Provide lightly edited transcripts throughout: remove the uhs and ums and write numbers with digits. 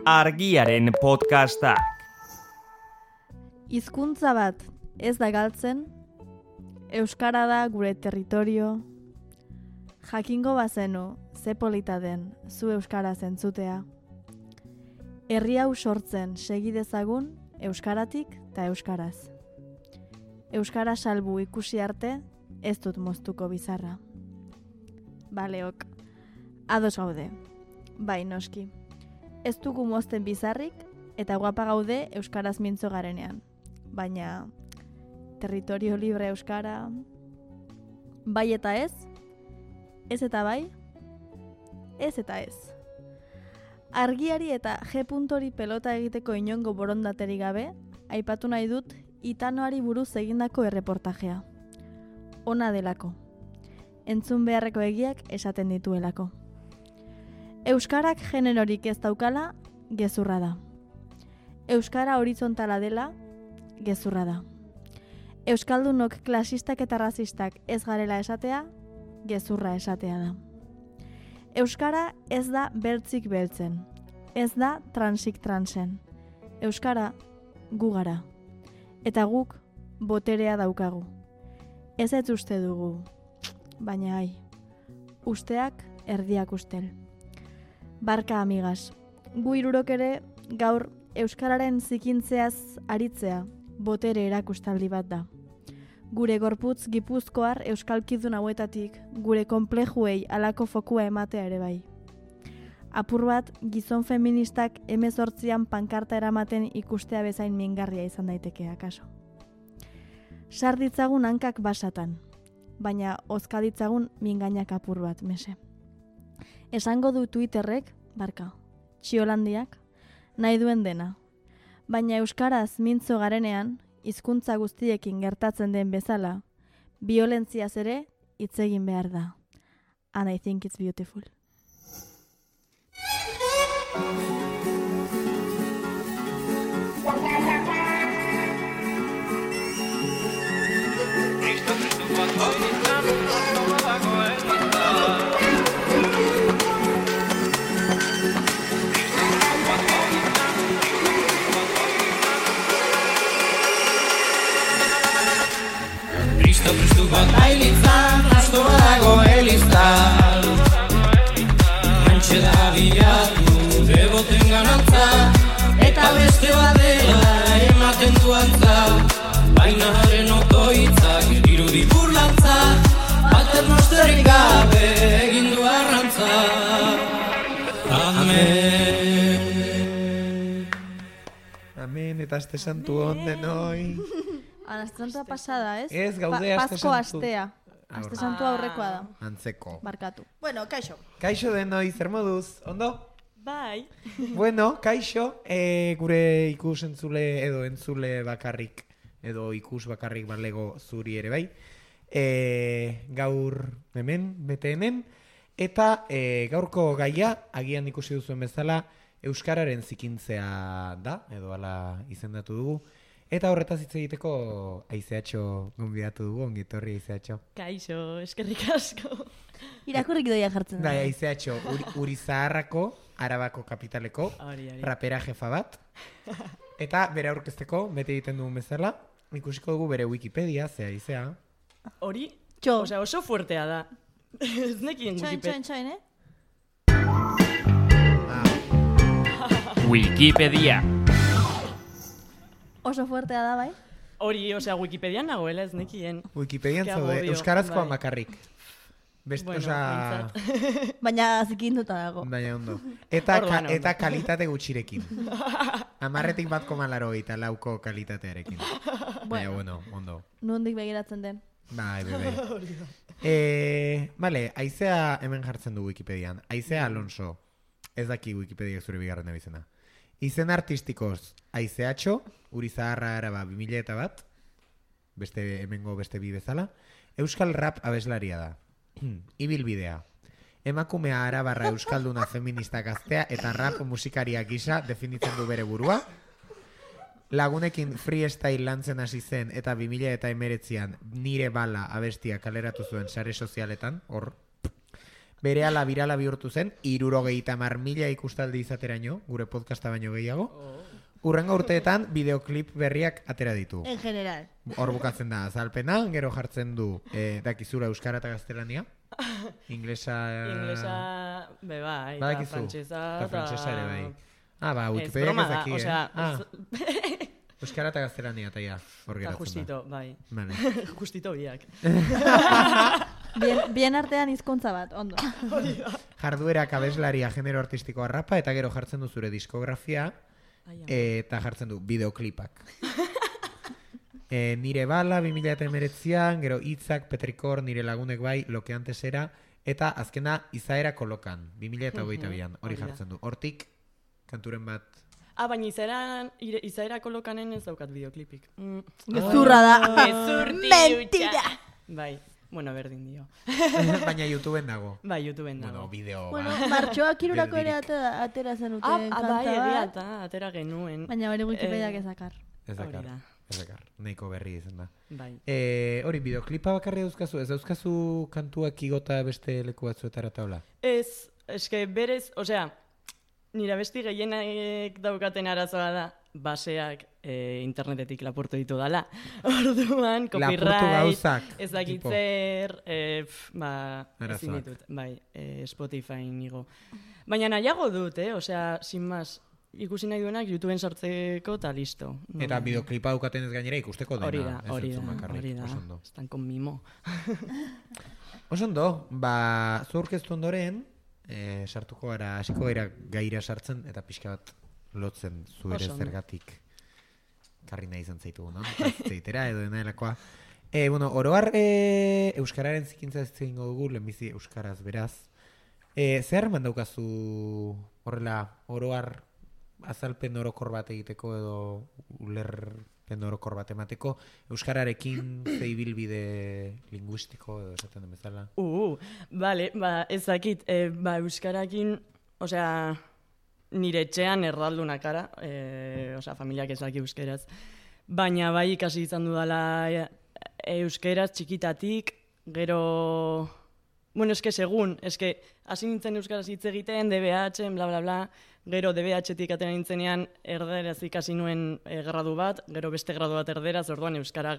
Argiaren podcastak. Hizkuntza bat ez da galtzen, euskara da gure territorio. Jakingo bazenu, ze polita den zu euskara zentzutea. Herri hau sortzen segi dezagun euskaratik eta euskaraz. Euskara salbu ikusi arte ez dut moztuko bizarra. Baleok, ados gaude, bai noski. Ez dugu mozten bizarrik eta guapa gaude euskaraz mintzo garenean. Baina, territorio libre euskara, bai eta ez? Ez eta bai? Ez eta ez. Argiari eta G.ori pelota egiteko inongo borondateri gabe, aipatu nahi dut Itanoari buruz egindako erreportajea. Ona delako. Entzun beharreko egiak esaten dituelako. Euskarak generorik ez daukala, gezurra da. Euskara horizontala dela, gezurra da. Euskaldunok klasistak eta razistak ez garela esatea, gezurra esatea da. Euskara ez da beltzik beltzen, ez da transik transen. Euskara gu gara, eta guk boterea daukagu. Ez uste dugu, baina usteak erdiak ustel. Barka amigas, gu hirurok ere gaur euskararen zikintzeaz aritzea botere erakustaldi bat da. Gure gorputz gipuzkoar euskalkidun hauetatik gure konplejuei halako fokua ematea ere bai. Apur bat gizon feministak 18an pankarta eramaten ikustea bezain mingarria izan daiteke akaso. Sar ditzagun hankak basatan, baina ozka ditzagun mingainak apur bat mese. Esango du Twitterrek, barka, Txiolandiak, nahi duen dena. Baina euskaraz mintzo garenean, hizkuntza guztiekin gertatzen den bezala, biolentziaz ere hitz egin behar da. And I think it's beautiful. Prestu bat bailitzan, astoa dago eliztan. Antxe da bilatu, beboten ganantza, eta beste badela ematen duantza. Baina haren otoitzak irudi burlantza, paternosterik gabe egin du arrantza. Amen. Amen, eta aste santu onden hoi. Aste santua pasada, ez? Ez, gaude aste Pasko santu. astea. Aste santua aurrekoa da. Antzeko. Barkatu. Bueno, kaixo. Kaixo denoi, zer moduz, ondo? Bai. Bueno, kaixo, gure ikus entzule edo entzule bakarrik, edo ikus bakarrik balego zuri ere bai. Gaur hemen, bete hemen, eta gaurko gaia, agian ikusi duzuen bezala, euskararen zikintzea da, edo hala izendatu dugu. Eta horretaz hitz egiteko Aizeatxo gonbidatu dugu, ongitorri Aizeatxo. Kaixo, eskerrik asko. Irakurrik doia jartzen da. Bai, Aizeatxo, Urizaharrako, Arabako kapitaleko, rapera jefa bat. Eta bere aurkezteko, bete egiten dugun bezala, ikusiko dugu bere Wikipedia, zea Aizea. Hori, Txo. osea, oso fuertea da. Ez nekien Wikipedia. Txain, Wikipedia. Oso fuertea da, bai? Hori, osea, Wikipedian nagoela ez nekien. Wikipedian Ke zaude, agobio, euskarazkoan bai. bakarrik. Beste, Bueno, osa... Baina zikinduta dago. Baina ondo. Eta, Orduan, ondo. eta kalitate gutxirekin. 10,4 lauko kalitatearekin. Baina, bueno, ondo. Nondik begiratzen den. Bai. Vale, Aizea hemen jartzen du Wikipedian. Aizea Alonso. Ez daki Wikipedia zure bigarren abizena. Izen artistikoz Aizeatxo, Urizaharra Araba 2001, beste hemengo beste bi bezala. Euskal rap abeslaria da. Ibilbidea. Emakumea arabarra euskalduna feminista gaztea eta rap musikaria gisa definitzen du bere burua. Lagunekin freestyle lantzen hasi zen eta 2019an Nire Bala abestia kaleratu zuen sare sozialetan, hor. berehala birala bihurtu zen, 70.000 ikustaldi izateraino, gure podcasta baino gehiago. Urrengo urteetan bideoklip berriak atera ditu. En general. Hor bukatzen da azalpena, gero jartzen du dakizura euskara eta gaztelania. Inglesa, bai, eta badakizu. frantsesa. Eta frantsesa ere bai. Ba, Ez, Wikipedia broma ez da, daki, osea, euskara eta gaztelania eta ja, hor eta geratzen da. justito, bai. Vale. Justito biak. Bien artean hizkuntza bat, ondo. Jarduerak abeslaria genero artistikoa rapa eta gero jartzen du zure diskografia eta jartzen du bideoklipak. Nire bala 2019an, gero hitzak Petrikor, nire lagunek bai, lo que antes era, eta azkena izaera kolokan, 2022an, hori jartzen du. Hortik, kanturen bat. Baina izaera kolokanen ez daukat bideoklipik. Gezurra da. Gezurti Mentira! Bai, bueno, berdin dio. Baina YouTubeen dago. Bai, YouTubeen Bueno, dago. bideo Bueno, bat. martxoak irurako ere atera zenuten kanta Bai, egia bat. eta atera genuen. Baina hori Wikipediak ezakar. Ez Hori dakar, da. ez dakar. Nahiko berri izan da. Bai. Hori, bideoklipa bakarri dauzkazu, ez dauzkazu kantuak igota beste leku batzuetara taula? Ez, eske berez, osea, nire besti gehienak daukaten arazoa da, baseak internetetik lapurtu ditu dala. Orduan, Lapurtu copyright, gauzak. ez dakitzer, ezin Arazoak. ditut, bai, Spotify nigo. Baina nahiago dut, osea, sin más, ikusi nahi duenak YouTubeen sartzeko eta listo. Eta bideoklipa daukaten ez gainera ikusteko dena. Hori da, ez hori entzun da, bakarrik, hori da. oso ondo. Estan con mimo. Oso ondo, zu aurkeztu ondoren, sartuko gara, hasiko gara gaira sartzen, eta pixka bat lotzen zu ere Oso ondo. zergatik karri nahi izan zaitu, no? Zeitera edo dena delakoa. Bueno, oroar euskararen zikintza ez egingo dugu, lehenbizi euskaraz beraz. Zer eman daukazu horrela oroar azalpen orokor bat egiteko edo ulerpen orokor bat emateko euskararekin ze ibilbide linguistiko edo esaten den bezala? Bale, ez dakit, euskarakin, osea, nire etxean erdalduna kara, osea, familiak ez daki euskeraz, baina bai ikasi izan dudala euskeraz txikitatik, gero, bueno, eske segun, eske hasi nintzen euskaraz hitz egiten, DBH, bla bla bla, gero DBH-tik atera nintzenean erderaz ikasi nuen gradu bat, gero beste gradu bat erderaz, orduan euskara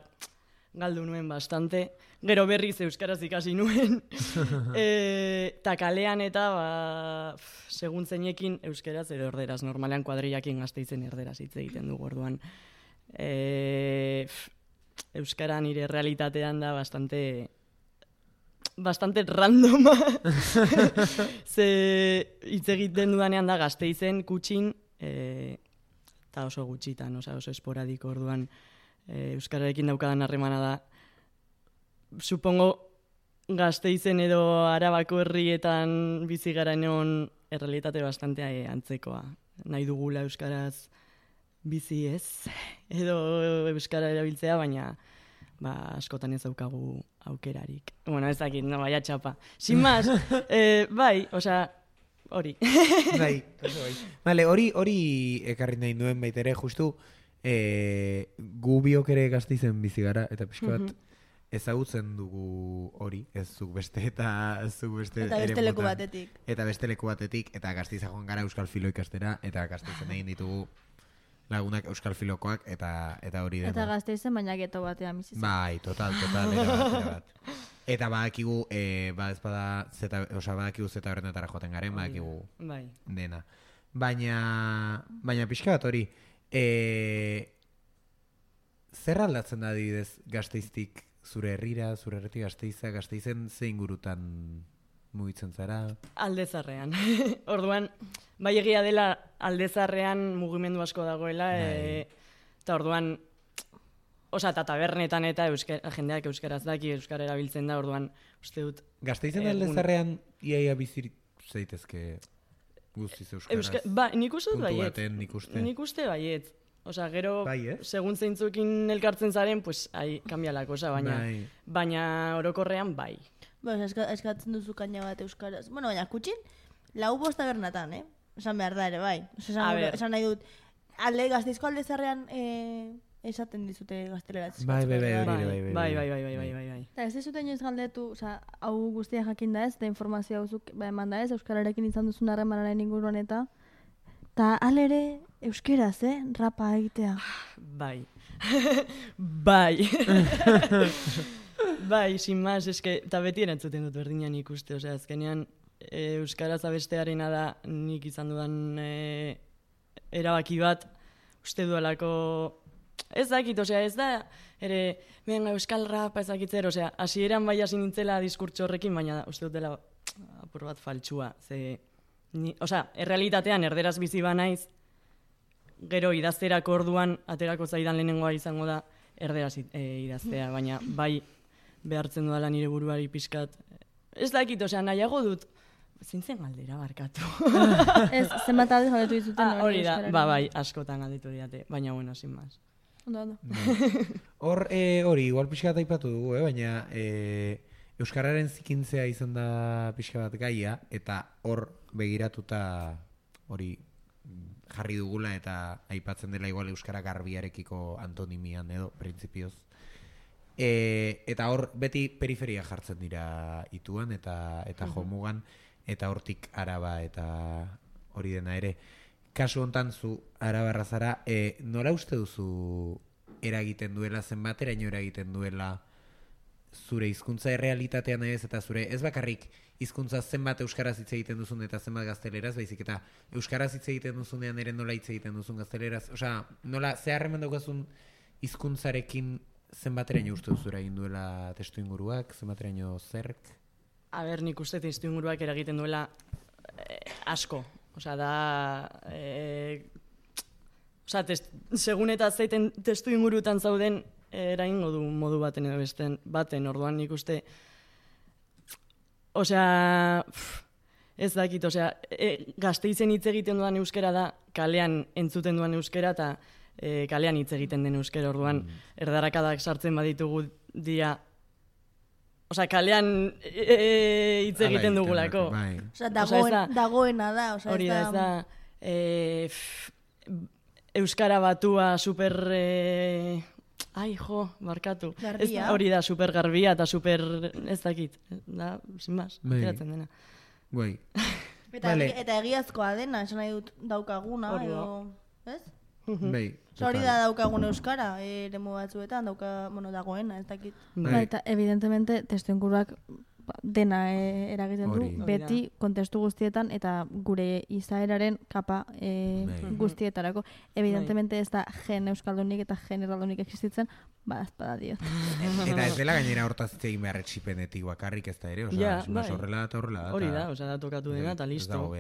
galdu nuen bastante, gero berriz euskaraz ikasi nuen, eta kalean eta segun zeinekin euskaraz edo erderaz, normalean kuadrillakin Gasteizen erderaz hitz egiten dugu, orduan euskara nire realitatean da bastante randoma. Ze hitz egiten dudanean da Gasteizen, Kutxin, eta oso gutxitan, oso esporadiko, orduan euskararekin daukadan harremana da. Supongo Gasteizen edo Arabako herrietan bizi garaenean errealitate bastante antzekoa. Nahi dugula euskaraz bizi ez, edo euskara erabiltzea, baina askotan ez daukagu aukerarik. Bueno, ez dakit, no, baia txapa. Sin más, bai, osea, hori. Bai, oso bai. Vale, hori ekarri nahi nuen baitere, justu gu biok ere Gasteizen bizi gara, eta pixka bat ezagutzen dugu hori, ez zuk beste eta zuk beste Eta beste eremutan. leku batetik. Eta beste leku batetik, eta Gasteiza joan gara euskal filo ikastera, eta Gasteizen egin ditugu lagunak euskal filokoak, eta hori dena. Eta Gasteizen baina geto batean bizi zen. Bai, total, erabat. Eta badakigu, badakigu zeta horrenetara joaten garen, badakigu Bai. dena. Baina pixka bat hori, zer aldatzen da adibidez Gasteiztik zure herrira, zure herritik Gasteiza, Gasteizen ze ingurutan mugitzen zara? Aldezarrean. Orduan, bai egia dela Aldezarrean mugimendu asko dagoela, eta orduan, eta tabernetan eta jendeak euskaraz daki, euskara erabiltzen da, orduan, uste dut... Gasteizen Aldezarrean iaia bizir zaitezke guztiz euskaraz? Nik uste dut puntu baiet. baten ikuste. Nik uste baiet. Gero, Bai, segun zeintzukin elkartzen zaren, pues, cambia la cosa, Bai. baina orokorrean bai. Eskatzen duzu kaina bat euskaraz. Bueno, baina Kutxin, 4-5 tabernatan, Esan behar da ere, bai. Esan nahi dut, Gasteizko Aldezarrean esaten dizute gazteleraz. Bai. Eta ez dizute inoiz galdetu, hau guztia jakin da ez, eta informazio hauzuk eman da ez, euskararekin izan duzun harremanaren inguruan eta alere euskeraz, rapa egitea. Bai. Bai. Bai, sin más, eske, eta beti erantzuten dut berdinan ikuste, azkenean euskaraz abestearena da nik izan dudan erabaki bat, uste duelako, ez dakit, ez da, ere, venga, euskal rapa ez dakitzer, hasieran bai hasi nintzela diskurtso horrekin, baina uste dut dela apur bat faltsua, errealitatean erderaz bizi banaiz, gero idazterako orduan, aterako zaidan lehenengoa izango da, erderaz idaztea, baina bai behartzen dudala nire buruari pixkat. Ez dakit, nahiago dut, zintzen galdera barkatu. Ez, zenbat aldiz galdetu dizuten hori da, bai, askotan galdetu didate, baina bueno, sin más. Ondo. Hori, igual pixkat aipatu dugu, baina euskararen zikintzea izan da pixka bat gaia, eta hor begiratuta hori jarri dugula eta aipatzen dela igual euskara garbiarekiko antonimian edo, printzipioz. Eta hor beti periferia jartzen dira ituan eta jomugan, eta hortik araba eta hori dena ere. Kasu hontan zu arabarra zara, nola uste duzu eragiten duela, zenbateraino eragiten duela zure hizkuntza errealitatean ez, eta zure ez bakarrik hizkuntza zenbat euskaraz hitz egiten duzun eta zenbat gazteleraz, baizik eta euskaraz hitz egiten duzunean ere nola hitz egiten duzun gazteleraz, nola zeharremen daukazun hizkuntzarekin zenbateraino uste duzura egin duela testu inguruak, zenbateraino zerk? Nik uste testu inguruak eragiten duela asko. Segun eta zeiten testu ingurutan zauden, eraingo du modu baten edo baten, orduan nik uste, ez dakit, Gasteizen hitz egiten duan euskera da, kalean entzuten duan euskera, eta kalean hitz egiten den euskera, orduan erdarakadak sartzen baditugu dia, kalean hitz egiten dugulako. Dagoena da, hori da, ez da, euskara batua super... barkatu. Hori da, super garbia eta super... ez dakit. Da, sin más, ateratzen dena. Bai. Eta egiazkoa dena, esan nahi dut daukaguna, edo... Ez? Bai. Hori da daukagun euskara, eremu batzuetan, dagoena, ez dakit. Eta, evidentemente, testu inguruak dena eragiten du, beti kontestu guztietan eta gure izaeraren kapa guztietarako. Evidentemente ez da gen euskaldunik eta gen erraldunik existitzen, ezpada diot. Eta ez dela gainera hortaz egin behar etxipenetik bakarrik ez da ere, horrela eta horrela da. Hori da, da tokatu dena eta listo.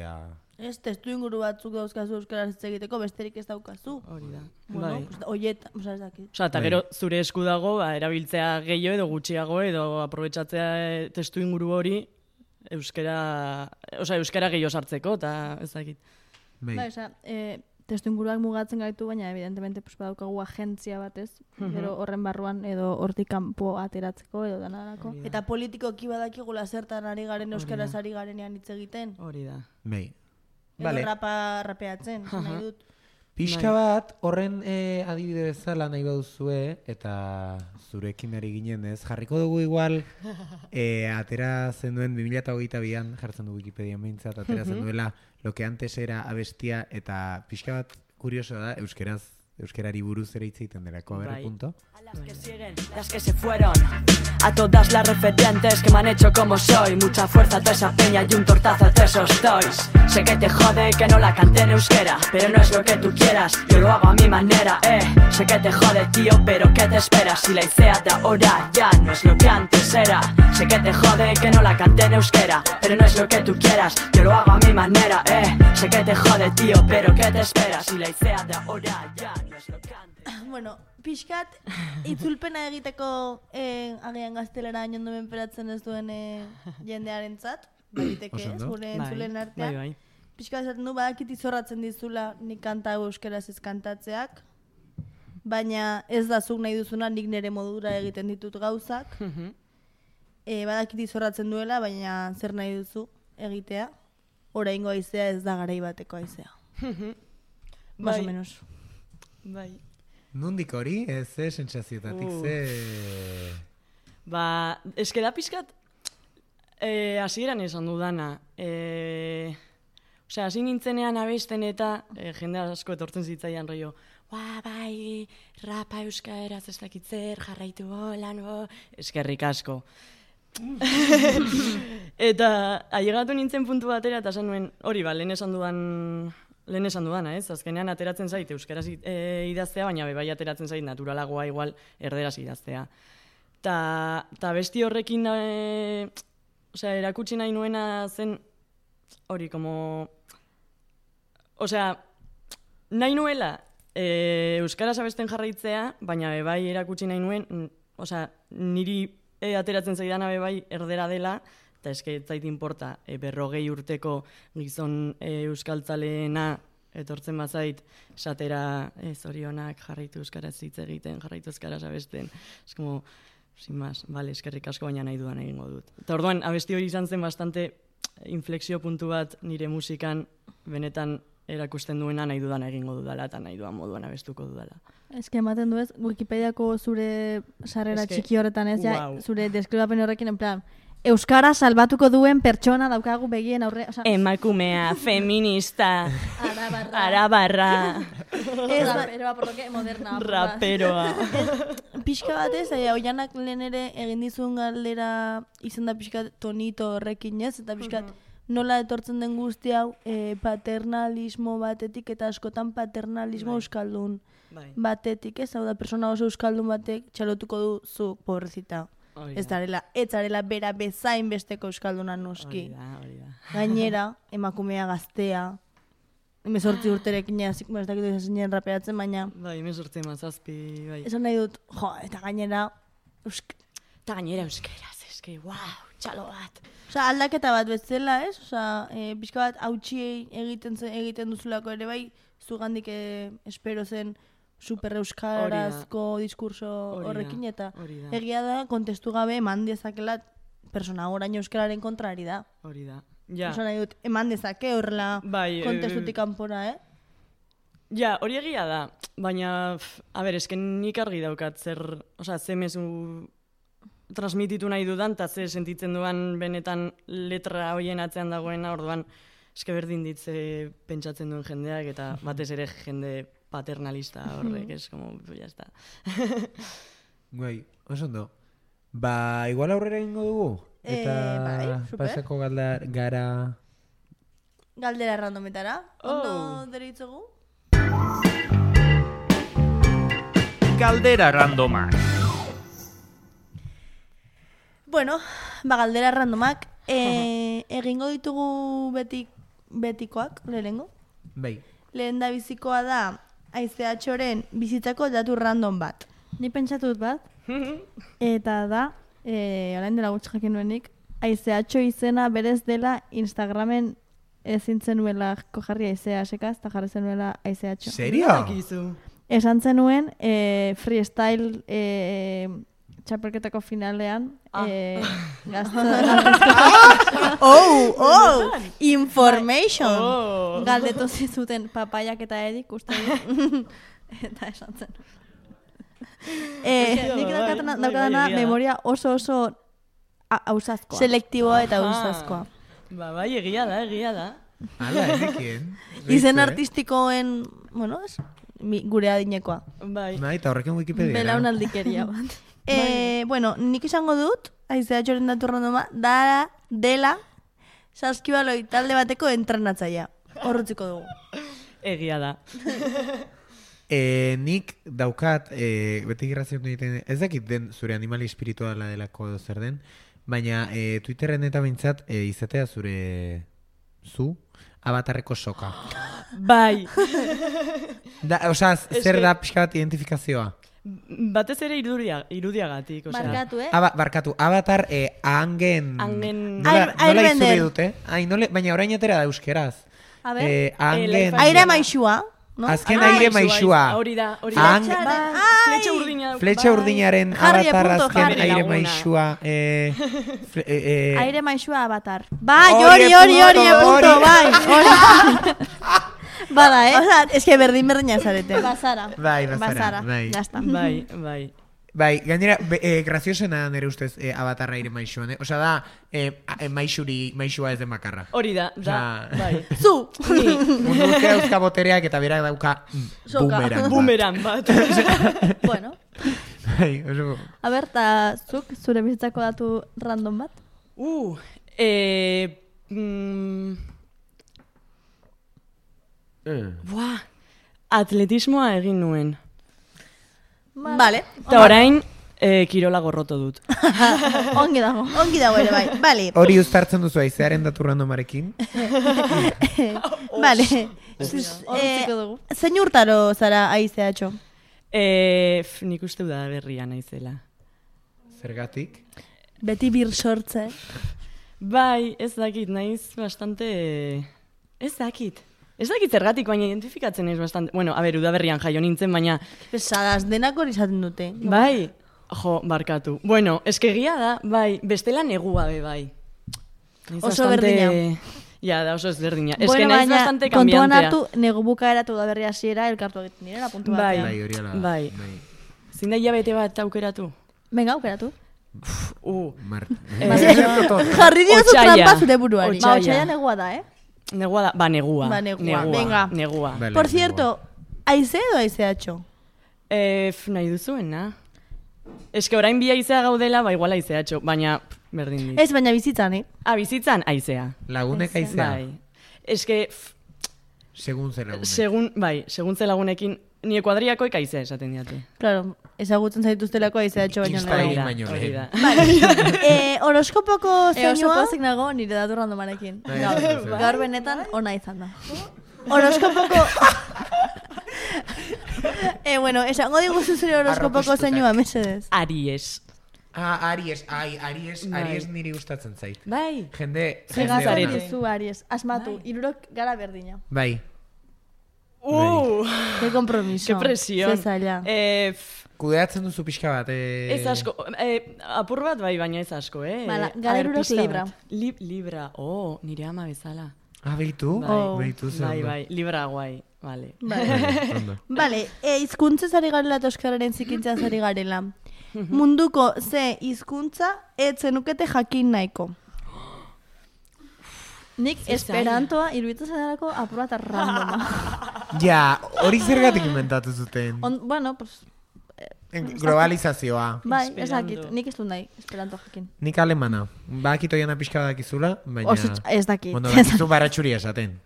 Ez testu inguru batzuk dauzkazu euskaraz hitz egiteko, besterik ez daukazu. Hori da. Oiet, ez dakit. Eta gero zure esku dago, erabiltzea gehiago edo gutxiago edo aprobetxatzea testu inguru hori euskara gehiago sartzeko, eta ez dakit. Testu inguruak mugatzen gaitu, baina evidentemente badaukagu agentzia batez, gero horren barruan edo hortik kanpo ateratzeko edo danarako. Eta politikoki badakigula zertan ari garen euskaraz ari garenean hitz egiten. Hori da. Edo rapeatzen, nahi dut. Pixka bat, horren adibide bezala nahi baduzue, eta zurekin ari ginen ez, jarriko dugu igual, atera zen duen 2022an, jartzen du Wikipedian behintzat, atera zen duela lo que antes era abestia, eta pixka bat kurioso da, euskerari buruz ere hitz egiten delako, a ver, punto. A las que siguen, las que se fueron, a todas las referentes que me han hecho como soy, mucha fuerza a toda esa peña y un tortazo a todos esos toys. Sé que te jode que no la cante en euskera, pero no es lo que tú quieras, yo lo hago a mi manera, Sé que te jode, tío, pero ¿qué te esperas? Si la idea de ahora ya no es lo que antes era. Sé que te jode que no la cante en euskera, pero no es lo que tú quieras, yo lo hago a mi manera, Sé que te jode, tío, pero ¿qué te esperas? Si la idea de ahora ya no es lo que antes era. Bueno, pixkat, itzulpena egiteko agian gaztelera inondo menperatzen ez duen jendearen zat, baditeke ez, gure entzulen artean. Pixkat esaten du, badakit izorratzen dizula nik kanta euskeraz ez kantatzeak, baina ez da zuk nahi duzuna nik nire modura egiten ditut gauzak. Badakit izorratzen duela, baina zer nahi duzu egitea, oraingo haizea ez da garai bateko haizea. Más o menos. Bai. Nundik hori, ze sentsaziotatik, Ba, eske da pizkat, hasieran esan dudana. Osea, hasi nintzenean abesten eta jende asko etortzen zitzaian rollo. Bai, rapa euskaraz ez dakit zer, jarraitu lan, eskerrik asko. Eta ailegatu nintzen puntu batera eta esan nuen, hori lehen esan dudana, ez? Azkenean ateratzen zait euskaraz idaztea, baina bai ateratzen zait naturalagoa igual erderaz idaztea. Ta besti horrekin, erakutsi nahi nuena zen, hori, nahi nuela euskaraz abesten jarraitzea, baina bai erakutsi nahi nuen, niri ateratzen zaidan bai erdera dela, eta eske zait inporta, 40 urteko gizon euskaltzaleena etortzen bazait, esatera zorionak jarraitu euskaraz hitz egiten, jarraitu euskaraz abesten. Ez como, sin más, vale, eskerrik asko baina nahi dudan egingo dut. Eta orduan, abesti hori izan zen bastante inflexio puntu bat nire musikan benetan erakusten duena nahi dudan egingo dudala eta nahi dudan moduan abestuko dudala. Eske ematen du ez, Wikipediako zure sarrera txiki horretan ez, wow. Zure deskribapen horrekin en plan, euskara salbatuko duen pertsona daukagu begien aurre... Emakumea, feminista, arabarra... Raperoa, por lo que moderna. Raperoa. Pixka bat ez, oianak lehen ere egin dizun galdera izan da pixka tonito horrekin ez, eta pixka nola etortzen den guzti hau paternalismo batetik eta askotan paternalismo euskaldun batetik ez, hau da persona oso euskaldun batek txalotuko du zu pobrezita. Ez zarela bera bezain besteko euskalduna noski. Hori da. Gainera, emakumea gaztea, 18 urterekin ez dakitu izan raperatzen, baina... Bai, 18 mazazpi, bai. Esan nahi dut, eta gainera... euskeraz, eske, wow, txalo bat. Osa, aldaketa bat bezala, ez? Osa, pixka bat hautsi egiten duzulako ere bai, zugandik espero zen super euskarazko diskurso horrekin, eta egia da, kontestu gabe eman dezakela persona orain euskararen kontrari da. Hori da. Ja. Osa nahi dut, eman dezake horrela kontestutik kanpora, Ja, hori egia da, baina, esken nik argi daukat ze mezu transmititu nahi dudan, eta ze sentitzen duan benetan letra horien atzean dagoena, orduan, eske berdin ditze pentsatzen duen jendeak, eta batez ere jende paternalista horrek, es como, ya está. Guai, oso ondo. Ba, igual aurrera egingo dugu? Eta pasako gara... Galdera randometara. Ondo deritzugu? Galdera randomak. Bueno, galdera randomak. Egingo ditugu betikoak, lehenengo? Bai. Lehen da bizikoa da, AICH-oren bizitzako datu random bat. Ni pentsatut bat, eta da, orain dela gutxi jakin nuenik, AICH izena berez dela Instagramen ezin zenuela jarri AICH-ekaz, eta jarri zenuela AICH. Serio? Esan zenuen freestyle txapelketako finalean information! Galdetu zizuten papaiak eta edik uste dut. Eta esan zen. Nik daukadana memoria oso ausazkoa. Selektiboa eta ausazkoa. Bai, egia da. Hala, enekien. Izen artistikoen, bueno, gure adinekoa. Bai, eta horrekin Wikipedia. Belaunaldikeria bat. Bueno, nik izango dut, AICH-oren datu randoma, dela Saskibaloi talde bateko entrenatzailea. Horrutziko dugu. Egia da. Nik daukat, beti irraziotu egiten, ez dakit den zure animali espirituala delako zer den, baina Twitterren eta bintzat izatea zu avatarreko soka. Bai. Osa, zer da pixka bat identifikazioa? Batez ere irudiagatik. Barkatu, Barkatu, avatar angen... Nola izuri dute? Baina orain atera da euskeraz. Aire maixua. Azken aire maixua. Hori da. Fletxa urdinaren avatar azken aire maixua. Aire maixua avatar. Bai, hori, punto, bai. Bada, Osa, eske berdina zarete. Bazara. Bai, bazara. Bai. Jazta. Bai. Bai, gainera, graziosena nire ustez Avatarra ire maixuan, Osa da, maixua ez den bakarra. Hori da, bai. Zu! Mundu dauzka botereak eta berak dauka bumeran bat. Bueno. Bai, oso... A ber, ta zuk, zure bizitzako datu random bat? Atletismoa egin nuen. Vale. Eta orain, kirola gorroto dut. Ongi dago. Ongi dago ere, bai. Vale. Hori uztartzen duzu aizearen datu randomarekin? Vale. Horretziko dugu. Zein urtaro zara aizeatxo? Nik uste da berria naizela. Zergatik? Beti bir sortze. Bai, ez dakit, naiz bastante... Ez dakit zergatik, baina identifikatzen naiz bastante... Bueno, a ber, udaberrian jaio nintzen, baina... Pesadas, denak hori izaten dute. Bai, barkatu. Bueno, eskegia da, bai, bestela negua be, bai. Oso berdina. Ja, da oso ezberdina. Ez que naiz bastante kambiantea. Kontuan hartu, negu bukaera eta udaberri hasiera elkartu egiten direla, puntu batean. Bai, hori ala. Bai. Zin da hilabete bat aukeratu? Venga, aukeratu. Jarri diozu trampa zure buruari. Ba, otxaila negua da, Negua da, ba, negua. Venga. Negua. Por cierto, aize edo aizeatxo? Nahi duzuena. Ez que orain bi aizea gaudela, ba, igual aizeatxo, baina berdin dit. Ez, baina bizitzan, bizitzan aizea. Lagunek aizea? Bai. Ez que... Segun ze lagunek. Segun ze lagunekin, nire kuadriakoek aizea esaten diate. Claro, ezagutzen zaituztelako aizeatxo baino lehen. Vale. Horoskopoko Oso zeinua? pozik nago nire datu randomarekin. Gaur benetan ona izan da. Horoskopoko... bueno, esango diguzu zure horoskopoko zeinua, mesedez. Aries. Aries niri gustatzen zait. Bai. Jende... Zegazarete zu, Aries. Asmatu, irurok gara berdina. Bai. Qué compromiso. Qué presión. Zezaila. Kudeatzen duzu pixka bat. Ez asko. Apur bat bai, baina ez asko, Bala, gara irurok Libra. Libra. Nire ama bezala. Beitu? Beitu zen. Bai, Libra guai. Vale. Vale, hizkuntzaz ari garela eta euskararen zikintzaz ari garela. Munduko ze hizkuntza ez zenukete jakin nahiko. Nik esperantoa iruditzen zaidalako apur bat randoma. Ja, hori zergatik inventatu zuten. Bueno, pues... Globalizazioa. Bai, ezakit, nik ez dut nahi, esperanto jakin. Nik alemana. Bakito jana pixka badakizula, baina... Ez dakit. Bueno, bakizu baratxuria esaten.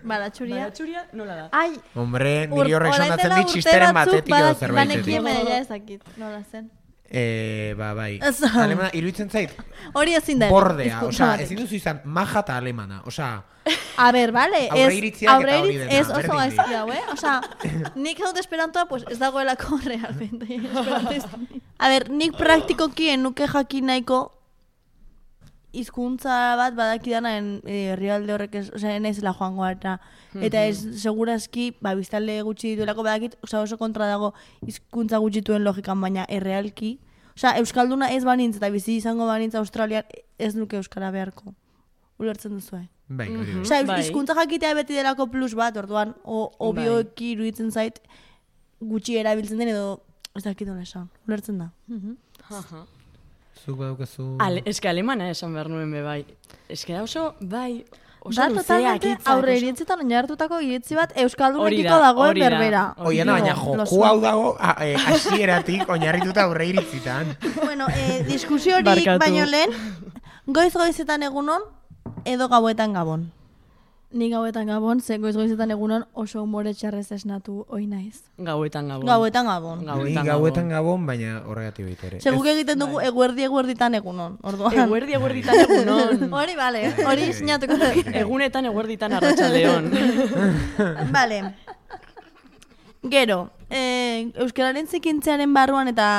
Baratxuria? Baratxuria nola da? Ai! Hombre, niri horrek sonatzen dit txisteren batetik edo zerbaitetik. Lanekien baina ez dakit, nola zen. Bai. Alemana, iruditzen zait? Hori ezin da. Bordea, osea, ezin duzu izan maja eta alemana, osea... A ber, vale, aurreiritziak ez oso gaizki hau, Osea, nik dut esperantoa, pues ez dagoelako realmente. A ber, nik praktikokien nuke jakin nahiko hizkuntza bat badakidana herrialde horrek ez, osea, ez la joango eta ez segurazki, biztalde gutxi dituelako badakit, osea, oso kontra dago hizkuntza gutxituen logikan, baina errealki, osea, euskalduna ez banintz eta bizi izango banintz Australian ez nuke euskara beharko. Ulertzen duzu, Bai, hori. Osea, hizkuntza jakitea beti delako plus bat, orduan, obioeki iruditzen zait gutxi erabiltzen den edo ez dakit nola esan. Ulertzen da. Zuk badaukazu... Eske alemana esan behar nuen be bai. Eske da oso, bai, oso da, luzeak hitzak. Aurre iritzitan oinartutako iritzi bat euskaldunekiko dagoen berbera. Oiana, baina joku hau dago hasieratik oinarrituta aurre iritzitan. Bueno, diskusio hori baino lehen, goiz-goizetan egunon, edo gauetan gabon. Ni gauetan gabon, ze goiz-goizetan egunon oso humore txarrez esnatu oi naiz. Gauetan gabon. Gauetan gabon. Ni gauetan gabon, baina horregatik baita ere. Seguk egiten dugu eguerditan egunon, orduan. Eguerditan egunon. Hori, bale, hori sinatuko da. Egunetan eguerditan arratsaldeon. Vale. Gero, euskararen zikintzearen barruan eta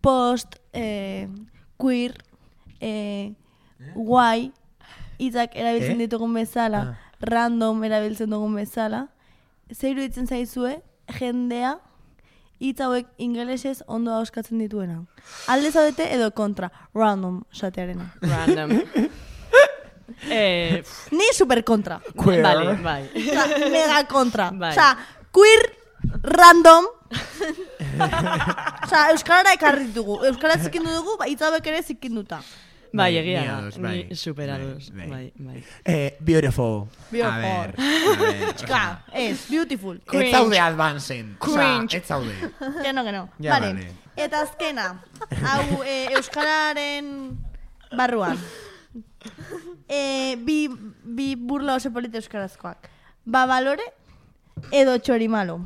post, queer, guai, hitzak erabiltzen ditugun bezala, random erabiltzen dugun bezala, zer iruditzen zaizue, jendea, hitz hauek ingelesez ondo ahoskatzen dituena. Alde zaudete edo kontra, random esatearena. Random. Ni super kontra. Queer. Vale, bai. Osa, mega kontra. Bai. Osa, queer random. Osa, euskarara ekarri dugu. Euskara zikindu dugu, itzabek ere zikinduta. Bai, Bai, egia ni da. ados, bai. Ni superados. Bai, Bai, bai. Beautiful. Beautiful. A ver. Txika, ez, beautiful. Ez zaude advancen. Cringe. Ez zaude. Geno. Ja, Vale. vale. Eta azkena, hau euskararen barruan. Bi burla oso polite euskarazkoak. Babalore edo txorimalo.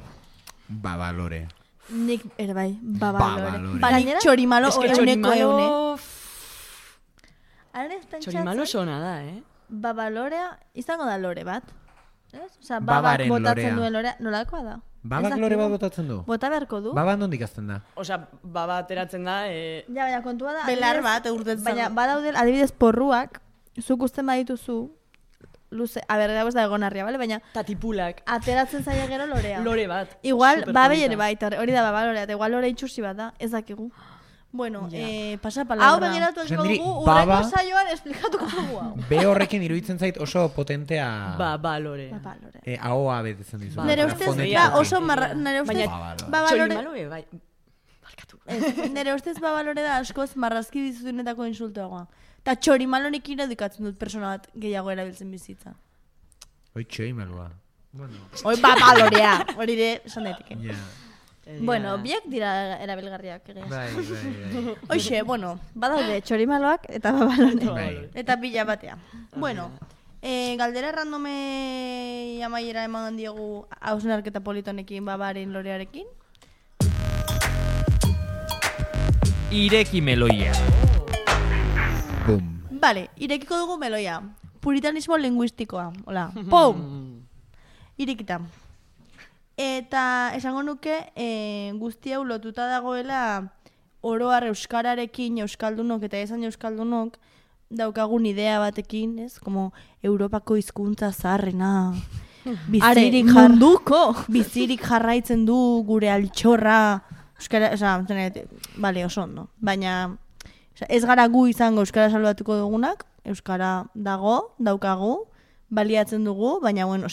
Babalore. Nik ere bai, babalore. Babalore. Nik txorimalo Es que euneko eune. txorimalo... Haren ez pentsatzen, Txorimalo sona da, babalorea izango da lore bat. Ez? Osa, Babaren babak botatzen lorea. duen lorea, nolakoa da? Babak Ez lore dakigu. bat botatzen du? Bota beharko du? Baba nondik azten da? Osea, baba ateratzen da, Ja, baina kontua da... Belar adibidez- bat, urtetzen. Baina badaude, adibidez, porruak, zuk usten badituzu, luze, a ber, ez da egonarria, bale? Baina tatipulak, ateratzen zaia gero lorea. lore bat. Igual, Superpolita. babei ere baita, hori da babalorea, eta igual lore itxusi bat da, ez dakigu. Bueno, Ja. pasa palabra. Hau begiratu Osea, esko niri dugu, baba- urrengo saioan esplikatuko dugu hau. Be horrekin iruditzen zait oso potentea... Ba, lore. Babalore. Ahoa betetzen dizu. Nere Ba, ustez, fonetikoki. da oso marra, nere ustez, Baina- babalore, Txorimalo, bai. Barkatu. nere ustez babalore da askoz marrazki dizunetako insultoagoa. Ta txorimalonik irudikatzen dut persona bat gehiago erabiltzen bizitza. Hoi txoimalua. Bueno, Hoi babalorea, hori ere, esan daiteke. ja. Bueno, biak dira erabilgarriak egia. Bai. Hoxe, bueno, Badaude txorimaloak eta babalore. Bai. eta pila batea. Bueno, galdera randome amaiera eman diogu hausnarketa politonekin babaren lorearekin. Ireki meloia. Bum. Vale, irekiko dugu meloia. Puritanismo linguistikoa. Hola, pum! Irekita. Eta esango nuke guzti hau lotuta dagoela oroar euskararekin euskaldunok eta esan euskaldunok daukagun idea batekin, ez? Como Europako hizkuntza zaharrena. Bizirik jarraitzen du gure altxorra. Euskara, vale, oso ondo. Baina ez gara gu izango euskara salbatuko dugunak, euskara daukagu, baliatzen dugu, baina bueno,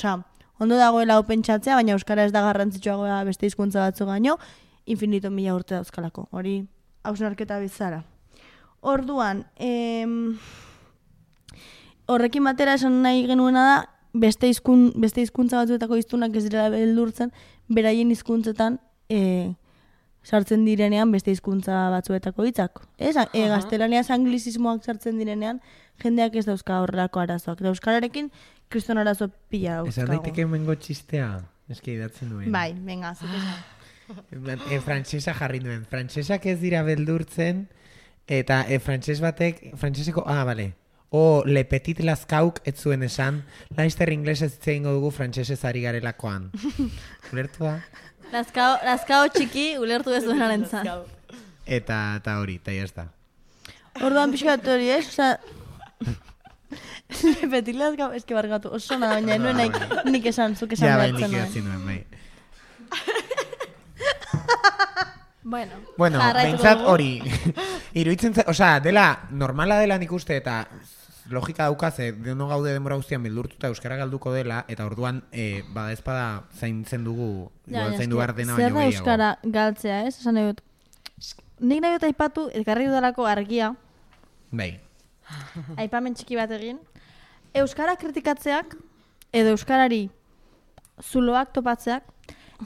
ondo dagoela hau pentsatzea, baina euskara ez da garrantzitsuagoa beste hizkuntza batzu gaino, infinito mila urte dauzkalako. Hori hausnarketa bizara. Orduan, horrekin batera esan nahi genuena da, beste hizkuntza batzuetako hiztunak ez dira beldurtzen, beraien hizkuntzetan sartzen direnean beste hizkuntza batzuetako hitzak. Gaztelaniaz anglizismoak sartzen direnean, jendeak ez dauzka horrelako arazoak. Da euskararekin kriston arazo pila dauzkago. Esan daiteke mengo txistea. Eski idatzen duen. Bai, venga, zutesan. Frantsesa jarri duen. Frantsesak ez dira beldurtzen, eta frantses batek, frantseseko, vale. Le petit lascauk ez zuen esan, laister inglesez itzein dugu frantsesez ari garelakoan. Ulertu da? Lazkao txiki ulertu ez duenaren zan. Eta hori, eta jazta. Orduan pixkat hori, Osa, petit lazkao, eski bargatu, oso nada, baina nuen nahi nik esan, zuk esan Ja, bai, behartzen nik nuen. idatzi nuen, bai. Bueno, behintzat hori, iruditzen dela, normala dela nik uste, eta logika daukaze, deno gaude denbora guztian beldurtuta euskara galduko dela, eta orduan, bada ezpada zaintzen dugu, zaindu behar dena baino zer da gehiago. euskara galtzea, ez? Esan nahi dut. Nik nahi dut aipatu, elkarri dudalako argia, Bai. aipamen txiki bat egin, euskara kritikatzeak, edo euskarari zuloak topatzeak,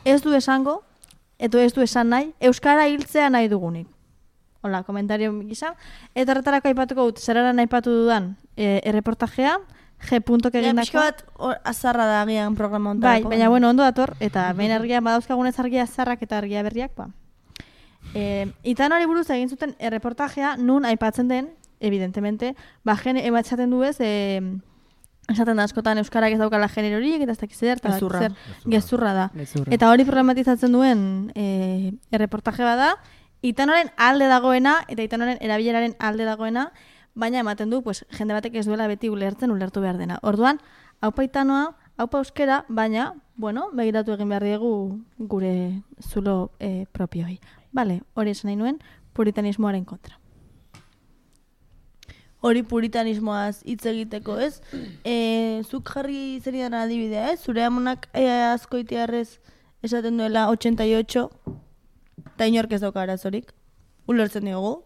ez du esango, edo ez du esan nahi, euskara hiltzea nahi dugunik. Hola, komentario gisa. Eta horretarako aipatuko dut, zeraran aipatu dudan erreportajea, G.ek Ja, egindako. pixka bat azarra da agian programa Bai, ontarako. baina bueno, ondo dator, eta behin argia badauzkagunez argia zarrak eta argia berriak, ba. Itan hori buruz egin zuten erreportajea, nun aipatzen den, evidentemente, ematxaten du ez, esaten da askotan euskarak ez daukala generorik, eta ez dakiz zer, gezurra da. Eta hori problematizatzen duen erreportaje bada, Itanoren alde dagoena, eta Itanoren erabileraren alde dagoena, baina ematen du, pues, jende batek ez duela beti ulertu behar dena. Orduan, haupa Itanoa, haupa euskera, baina, bueno, begiratu egin behar diegu gure zulo propioi. Bale, hori esan nahi nuen, puritanismoaren kontra. hori puritanismoaz hitz egiteko, ez? Zuk jarri zeridan adibidea, ez? Zure amonak azkoitiarrez esaten duela 88, eta inork ez dauka arazorik. Ulertzen diogu.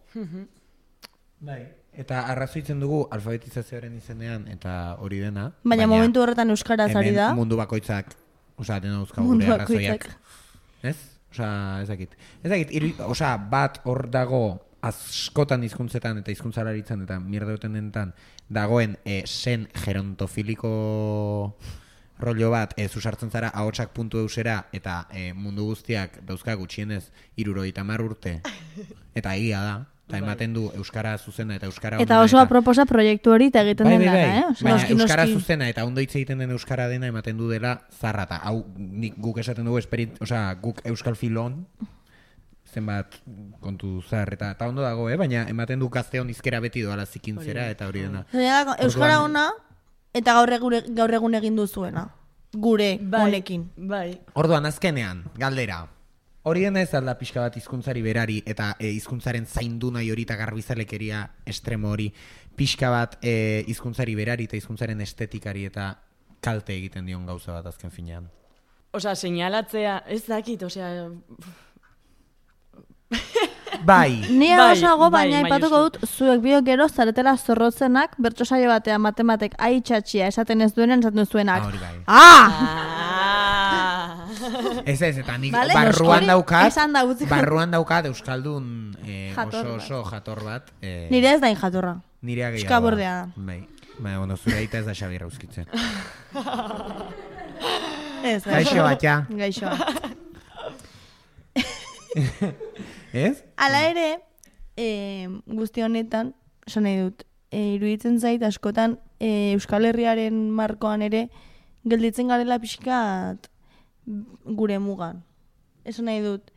Bai. Eta arrazoitzen dugu alfabetizazioaren izenean eta hori dena. Baina momentu horretan euskaraz ari da. Hemen mundu bakoitzak, dena dauzkagu gure arrazoiak. Ez? Ez dakit. Bat hor dago askotan hizkuntzetan eta hizkuntzalaritzan eta mierda denetan dagoen sen gerontofiliko rollo bat, zuzartzen zara ahotsak.eusera eta mundu guztiak dauzka gutxienez 70 urte. Eta egia da. Eta ematen du euskara zuzena eta euskara eta oso aproposa proiektu hori eta egiten den dana, Baina euskara zuzena eta ondo hitz egiten den euskara dena ematen du dela zarra. Eta hau guk esaten dugu guk euskal filon zenbat kontu zar eta ondo dago, baina ematen du gazteon izkera beti doala zikintzera eta hori dena. Euskara ona eta gaur egun egin duzuena. Gure honekin. Orduan azkenean, galdera. Hori dena ez alda pixka bat hizkuntzari berari eta hizkuntzaren zaindu nahi hori eta garbizalekeria estremo hori pixka bat hizkuntzari berari eta hizkuntzaren estetikari eta kalte egiten dion gauza bat azken finean. Seinalatzea, ez dakit, Bai. Ni osago, baina aipatuko dut, zuek biok gero zaretela zorrotzenak, bertso saio batean matematek aitxatxia esaten ez duenen, esaten zuenak. Hori bai. Ez, eta nik barruan daukat euskaldun oso jator bat. Nire ez da jatorra. Nirea gehiago. Eskabordea da. Baina, zure aita ez da Xabi Rauskitzen. Gaixo bat, ja. Gaixo bat. Ez? Hala ere, guzti honetan, esan nahi dut, iruditzen zait askotan Euskal Herriaren markoan ere gelditzen garela pixkat gure mugan. Esan nahi dut,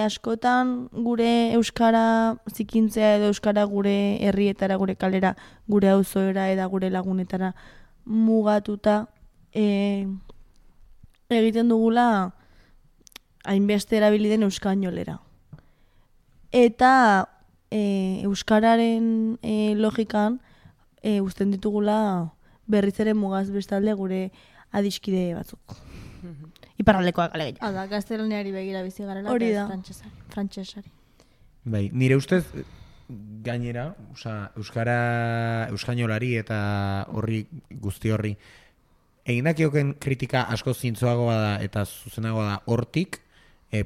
askotan gure euskara zikintzea edo euskara gure herrietara, gure kalera, gure auzoera eta gure lagunetara mugatuta egiten dugula hainbeste erabili den euskainolera. Eta euskararen logikan uzten ditugula berriz ere mugaz bestalde gure adiskide batzuk. Iparraldekoak alegia. Hala, gaztelaniari begira bizi garela eta frantsesari. Bai, nire ustez gainera, euskainolari eta horri guzti horri egindakioken kritika asko zintzoagoa da eta zuzenagoa da hortik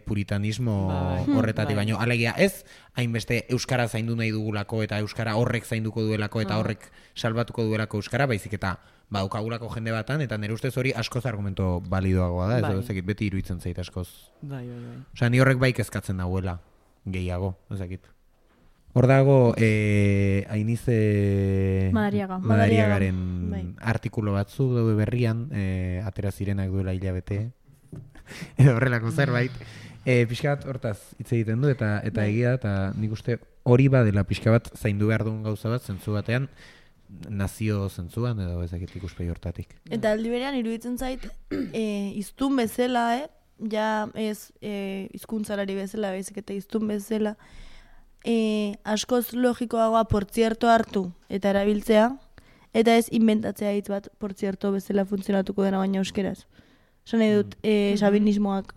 puritanismo horretatik baino. Alegia ez, hainbeste euskara zaindu nahi dugulako eta euskara horrek zainduko duelako eta horrek salbatuko duelako euskara, baizik eta daukagulako jende batan, eta nire ustez hori askoz argumento balidoagoa da, ez dakit, beti iruditzen zait askoz. Osea, ni horrek bai kezkatzen dagoela, gehiago, ez dakit. Hor dago, Ainize Madariagaren artikulo batzu daude berrian, atera zirenak duela hilabete, edo horrelako zerbait. Pixka bat hortaz hitz egiten du, eta egia, eta nik uste hori badela pixka bat zaindu behar duen gauza bat, zentzu batean, nazio zentzuan edo ezakit ikuspegi hortatik. Eta aldi berean iruditzen zait hiztun bezala, ja ez hizkuntzalari bezala, baizik eta hiztun bezala, askoz logikoagoa portzierto hartu eta erabiltzea, eta ez inventatzea hitz bat portzierto bezala funtzionatuko dena baina euskeraz. Esan nahi dut, sabinismoak.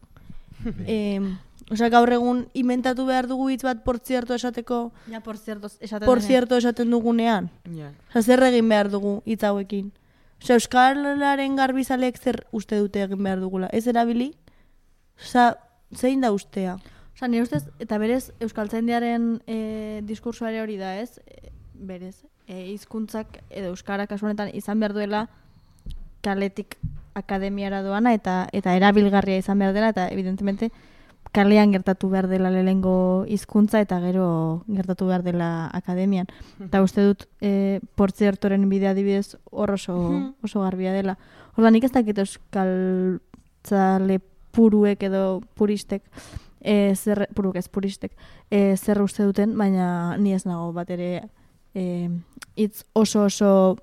Osea, gaur egun inventatu behar dugu hitz bat portzierto esateko, ja, portzierto esaten dugunean. Osea, zer egin behar dugu hitz hauekin. Osea, euskararen garbizaleek zer uste dute egin behar dugula. Ez erabili? Osea, zein da ustea? Osea, nire ustez, eta berez, euskaltzaindiaren diskursoare hori da, ez? Berez, hizkuntzak edo euskara kasu honetan izan behar duela kaletik akademiara doana eta erabilgarria izan behar dela, eta evidentemente kalean gertatu behar dela lehengo hizkuntza eta gero gertatu behar dela akademian. Eta uste dut portziertoren bidea adibidez hor oso garbia dela. Orda nik ez dakit euskaltzale puruek edo puristek, puristek, zer uste duten, baina ni ez nago bat ere hitz oso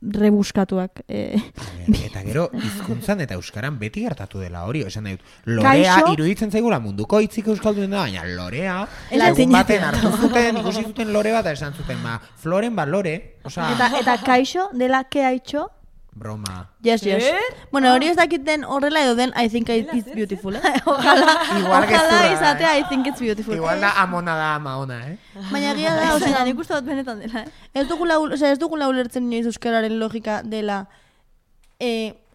rebuskatuak. Eta gero, hizkuntzan eta euskaran beti gertatu dela hori. Esan nahi dut, lorea iruditzen zaigula munduko hitzik euskaldun da, baina lorea, egun baten hartu zuten, ikusi zuten lore bat, esan zuten, floren lore. Eta kaixo, dela keaitxo, broma. Yes. Bueno, hori ez dakiten horrela edo den I think it's beautiful, Ojalá izatea I think it's beautiful. Igual da amona da amaona, Baina egia da, osea, nik uste dut benetan dela, ez dugula ulertzen inoiz euskararen logika dela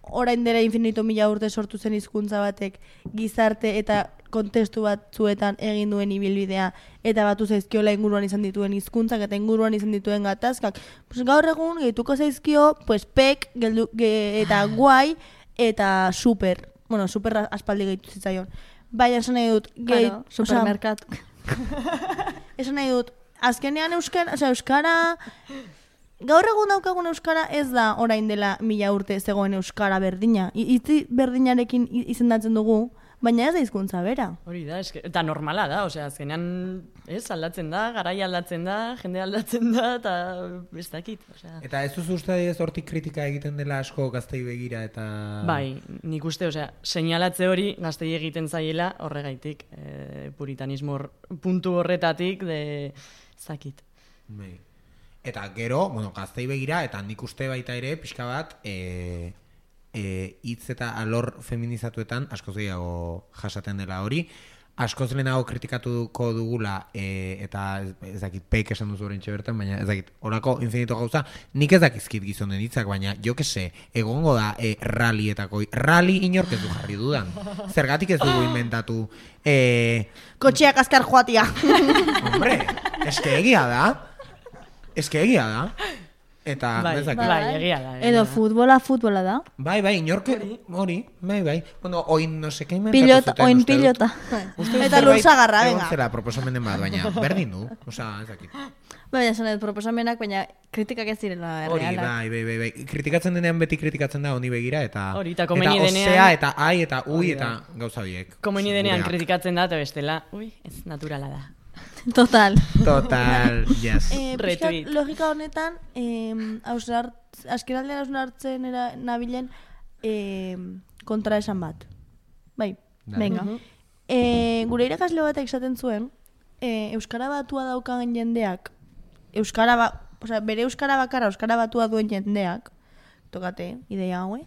orain dela infinito mila urte sortu zen hizkuntza batek gizarte eta kontestu batzuetan egin duen ibilbidea eta batu zaizkiola inguruan izan dituen hizkuntzak eta inguruan izan dituen gatazkak. Pues gaur egun gehituko zaizkio, pues pek eta guai eta super. Bueno, super aspaldi gehitu zitzaion. Baina esan nahi dut, supermerkatu. Esan nahi dut, azkenean euskara gaur egun daukagun euskara ez da orain dela 1000 urte zegoen euskara berdina. Itzi berdinarekin izendatzen dugu, baina ez da hizkuntza bera. Hori da, eta normala da, osea, azkenean aldatzen da, garai aldatzen da, jende aldatzen da, eta ez dakit. Eta ez duzu uste ez hortik kritika egiten dela asko gaztei begira eta... Bai, nik uste, osea, seinalatze hori gaztei egiten zaiela horregaitik, puritanismo puntu horretatik, ez dakit. Bai. Eta gero, gaztei begira, eta nik uste baita ere, pixka bat, hitz eta alor feminizatuetan askoz gehiago jasaten dela hori. Askoz lehenago kritikatuko dugula, eta ez dakit peik esan duzu horrentxe bertan, baina ez dakit, horako infinito gauza, nik ez dakizkit gizonen hitzak, baina jo kese, egongo da rallietako, rally inork ez du jarri dudan. Zergatik ez dugu inventatu. Kotxeak azkar joatia. Hombre, eske egia da. Eta, egia da. Edo futbola da. Bai, inorke, hori, bai. Bueno, oin no seke inventatu zuten. Oin pilota. Eta lursagarra, venga. Egon zera proposamenen bat, baina berdin du, osea, ez dakit. Baina esan dut proposamenak, baina kritikak ez direla errealak. Hori, bai. Kritikatzen denean beti kritikatzen da honi begira, eta osea, eta ai, eta ui, eta gauza biek. Komeni denean kritikatzen da, eta bestela, ez naturala da. Total, yes. Logika honetan, azkenaldean hausnartzen nabilen kontra esan bat. Bai, venga. Gure irakasle batek esaten zuen, euskara batua daukagen jendeak, bere euskara bakarra, euskara batua duen jendeak, tokate, ideia haue,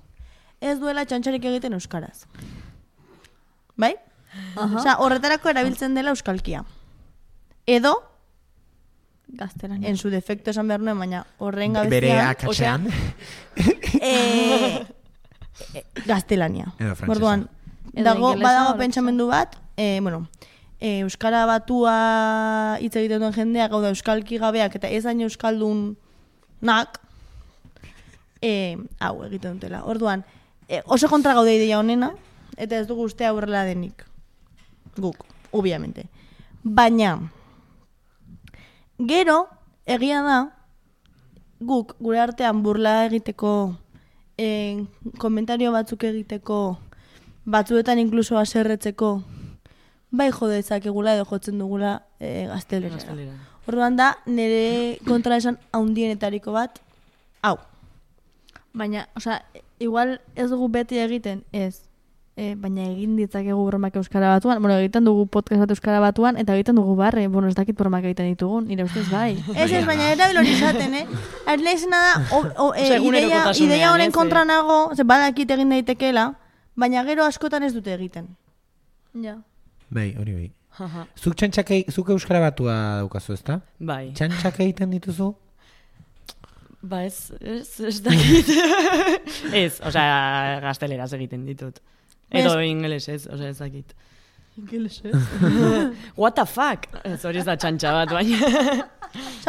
ez duela txantxarik egiten euskaraz. Bai? Horretarako erabiltzen dela euskalkia. Edo gaztelania. En su defecto esan behar nuen, baina horren gabezian... Bere akatzean. Gaztelania. Edo frantzesa. Borduan, badago pentsamendu bat, euskara batua hitz egiten duen jendeak, gauda euskalki gabeak, eta ez hain euskaldunak, hau egiten dutela. Orduan, oso kontra gaude ideia honena, eta ez dugu uste aurrela denik. Guk, obviamente. Baina... Gero, egia da, guk gure artean burla egiteko, komentario batzuk egiteko, batzuetan inkluso aserretzeko, bai jodezak egula edo jotzen dugula gaztelera. Orduan da, nire kontra esan haundienetariko bat, hau. Baina, igual ez dugu beti egiten, ez. Baina egin ditzakegu bromak euskara batuan. Bueno, egiten dugu podcast bat euskara batuan, eta egiten dugu barre. Bueno, ez dakit bromak egiten ditugun, nire ustez bai. Ez, baina erabil hori izaten, Arleizena da, ideia honen kontra nago, badakit egin daitekeela, baina gero askotan ez dute egiten. Ja. Bai, hori bai. Zuk euskara batua daukazu, ezta? Bai. Txantxak egiten dituzu? Ba, ez dakit. Ez, gazteleraz egiten ditut. Edo ingelesez, ez dakit. Ingelesez? What the fuck? Ez hori ez da txantxa bat, baina.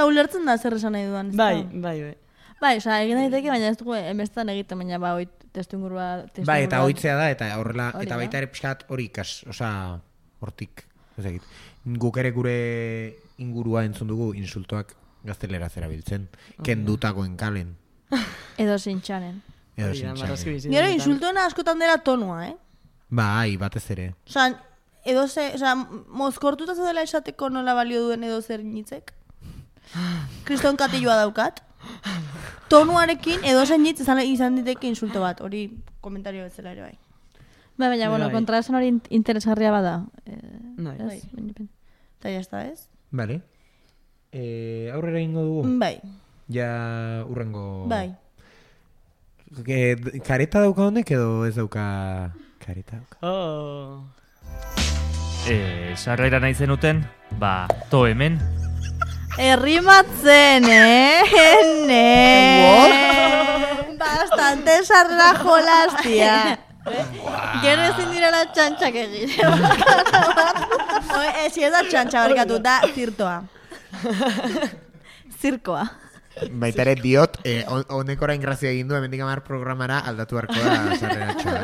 Ulertzen da zer esan nahi duan. Bai. Bai, egin daiteke, baina ez dugu emestan egiten, baina ba, testu ingurua... Bai, eta hoitzea da, eta horrela, eta baita ere pixkat hori ikas, hortik, ez dakit. Guk ere gure ingurua entzun dugu insultoak gazteleraz erabiltzen. Kendutakoen kalen. Edo zintxanen. Gero insultoena askotan dela tonua, Bai, batez ere. Mozkortuta dela esateko nola balio duen edo zer nitzek. Kriston katilloa daukat. tonuarekin edo zainitz izan diteke insulto bat, hori komentario bezala ere bai. Baina, bueno, kontraesan hori interesgarria bada. Bai. Eta jazta, ez? Vale. Aurrera ingo dugu? Bai. Ja urrengo... Bai. Kareta dauka honek edo ez dauka kareta dauka? Sarrera nahi zenuten, to hemen. Errimatzen, Bastante sarra jolastia. Gero ezin direla txantxak egin. Si ez da txantxa barkatu, da zirtoa. Zirkoa. Baita ere diot, honek orain grazia egin du, hemendik 10 programara aldatu beharko da sarrera txoa,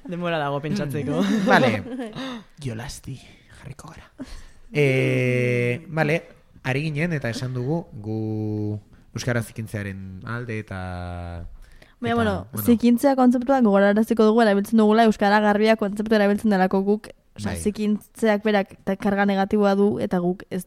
Denbora dago pentsatzeko. Vale, jolasti, jarriko gara. Vale, ari ginen eta esan dugu gu euskara zikintzearen alde eta... Baina, bueno, zikintzea kontzeptua gogoraraziko dugu erabiltzen dugula euskara garbia kontzeptua erabiltzen delako guk, zikintzeak berak karga negatiboa du eta guk ez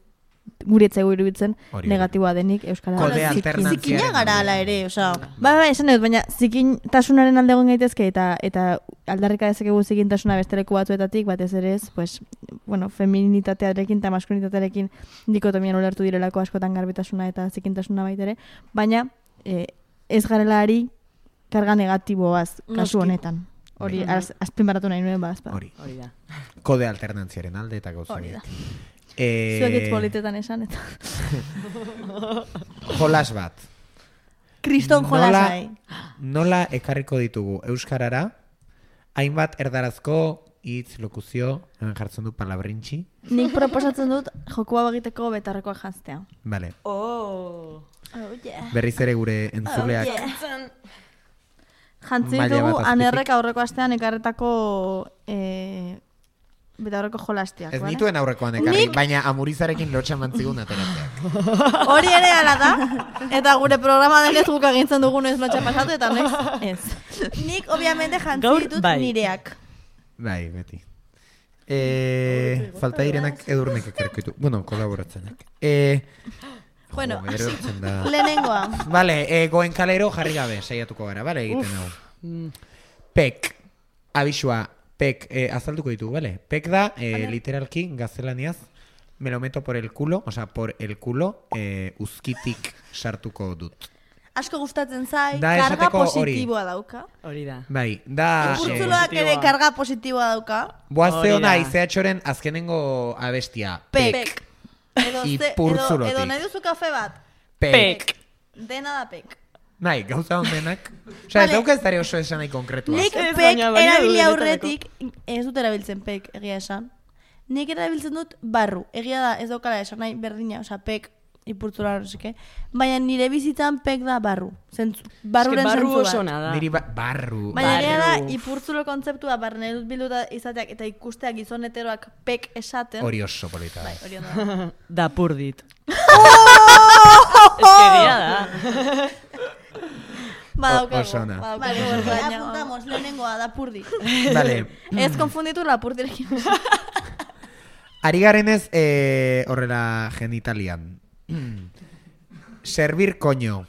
guretzaigu iruditzen negatiboa denik euskara. Kode alternantziaren. Zikina gara ala ere, osa. Bai, esan dut, baina zikintasunaren alde egon gaitezke eta aldarrika dezakegu zikintasuna besteleko batzuetatik, batez ere ez, pues, bueno, feminitatearekin eta maskulinitatearekin dikotomian ulertu direlako askotan garbitasuna eta zikintasuna baitere, baina ez garela ari karga negatiboaz kasu honetan. Hori, azpimarratu nahi nuen bazpa. Hori da. Kode alternantziaren alde eta gauza. Hori da. Zuek hitz politetan esan eta... Jolas bat. Kriston jolasai. Nola ekarriko ditugu euskarara, hainbat erdarazko hitz, lokuzio, hemen jartzen du palabrintxi. Nik proposatzen dut jokua bagiteko betarrekoa jantztea. Vale. Yeah. Berriz ere gure entzuleak. Jantzi ditugu anerrek aurreko astean ekarretako betaurreko jolastiak. Ez nituen aurrekoan ekarri, baina amurizarekin lotxa mantzigun ateratzeak. Hori ere ala da, eta gure programa denez guk agintzen dugu noiz lotxa pasatu, eta noiz ez. Nik, obviamente, jantzi ditut nireak. Bai, beti. Falta direnak edurnek ekarriko ditu. Bueno, kolaboratzenak. Bueno, lehenengoa. Vale, goen kalero jarri gabe, saiatuko gara, vale, egiten hau. Pek, abisua, pek, azalduko ditugu, vale? Pek da, literalki, gaztelaniaz, me lo meto por el culo, o sea, por el culo, uzkitik sartuko dut. Asko gustatzen zai, karga positiboa dauka. Hori da. Bai, da... Purtzuloak ere karga positiboa dauka. Boazte hona, izeatxoren azkenengo abestia. Pek. Ipurtzulotik. Edo nahi duzu kafe bat? Pek. Dena da pek. Nahi, gauza hondenak. Osa, ez dauka ez dare oso esan nahi konkretua. Nik pek erabili aurretik, ez dut erabiltzen pek, egia esan. Nik erabiltzen dut barru. Egia da, ez daukala esan nahi berdina, osa pek ipurtzula horrezike. Baina nire bizitzan pek da barru. Barruren zentzu bat. Niri barru. Baina egia da, ipurtzulo kontzeptua barne dut bilduta izateak eta ikusteak gizon heteroak pek esaten. Hori oso polita. Bai, hori ondo. Dapurdit. Ez que dia da. Badaukako. Vale, apuntamos, lehenengoa, dapurdi. Vale. Ez konfunditu lapurdirekin. Ari garenez horrela genitalian. Servir koño.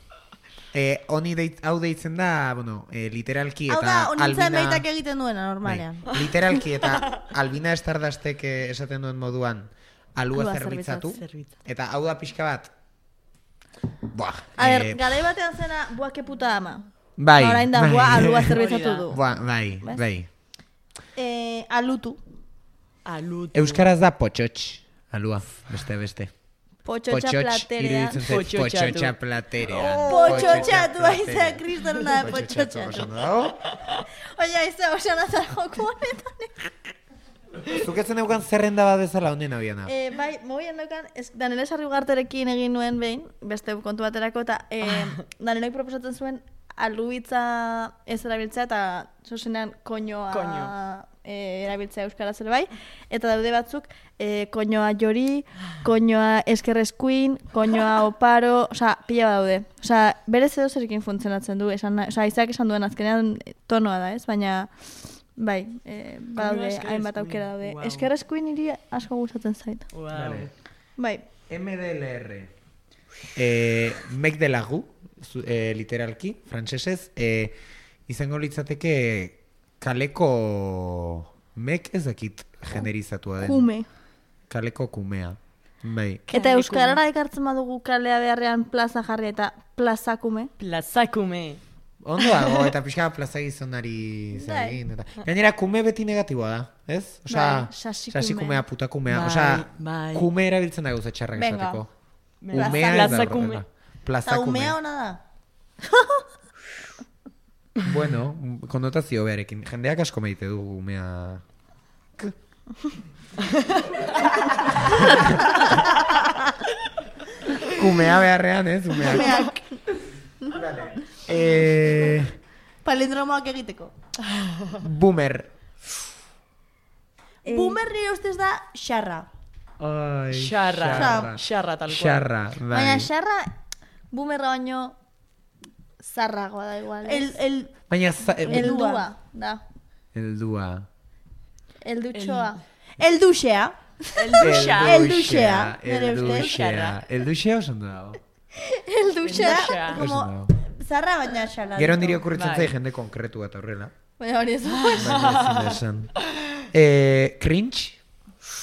Hau deitzen da, bueno, literalki eta Albina... Hau da, honintzen behitak egiten duena, normalean. Literalki eta Albina Estardastek esaten duen moduan alua zerbitzatu. Eta hau da pixka bat. Buah. A ver, garai batean zena, buah, que puta ama. Bai. Horain da, buah, alua zerbitzatu du. Buah, bai. Alutu. Euskaraz da potxotx. Alua, beste. Potxotxa platerea. Potxotxa platerea. Potxotxa, tu aiza, kriston da potxotxa. Oia, aiza, osan azar joko honetan. Zuketzen euken zerrenda bat bezala honen abiana. Bai, mobian daukan, Daniela Sarriugarterekin egin nuen behin, beste kontu baterako, eta Danielak proposatzen zuen aluitza ez erabiltzea eta zuzenean koñoa erabiltzea euskaraz ere bai, eta daude batzuk koñoa jori, koñoa eskerreskuin, koñoa oparo, osea, pila daude. Osea, berez edo zerrekin funtzionatzen du, osea, Isaac esan duen azkenean tonoa da, ez? Baina, bai, badaude, hainbat aukera daude. Eskerreskuin hiri asko gustatzen zait. Vale. Bai. MDLR. Mec de lagu, literalki, frantsesez, izango litzateke kaleko mek ez dakit generizatua den. Kume. Kaleko kumea. Bai. Eta euskarara ekartzen badugu kalea beharrean plaza jarri eta plazakume. Plazakume. Ondo dago, eta pixka plaza gizonari zegin. Gainera, kume beti negatiboa da, ez? Osa, sasikumea, putakumea. Osa, kume erabiltzen da gauza txarrak esateko. Umea ez da horrela. Eta umea hona da? Bueno, konnotazio beharekin. Jendeak asko meite du umea... Kumea beharrean, ez? Umeak. Palindromoak egiteko. Boomer. Boomer nire ustez da xarra. Xarra tal cual. Xarra, bai. Baina xarra boomerra baino zarragoa da igual. Baina Eldua da. Eldua. Eldutxoa. Elduxea. Elduxea. Elduxea oso ondo dago. Elduxea. Como zarra baina xarra. Gero niri okurritzen zai jende konkretu eta horrela. Baina hori ez. Cringe.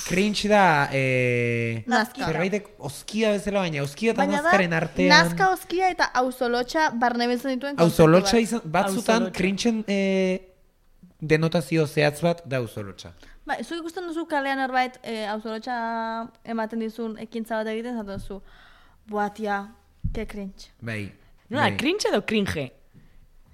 Cringe da... Nazka. Zerbaitek oskia bezala baina, oskia eta nazkaren artean... Nazka, oskia eta auzolotxa barne bezan dituen konzeptu bat. Auzolotxa izan, batzutan cringen denotazio zehatz bat da auzolotxa. Ba, zu ikusten duzu kalean erbait auzolotxa ematen dizun ekintza bat egiten, zato duzu, buatia, ke cringe. Bai. Nola, cringe edo cringe?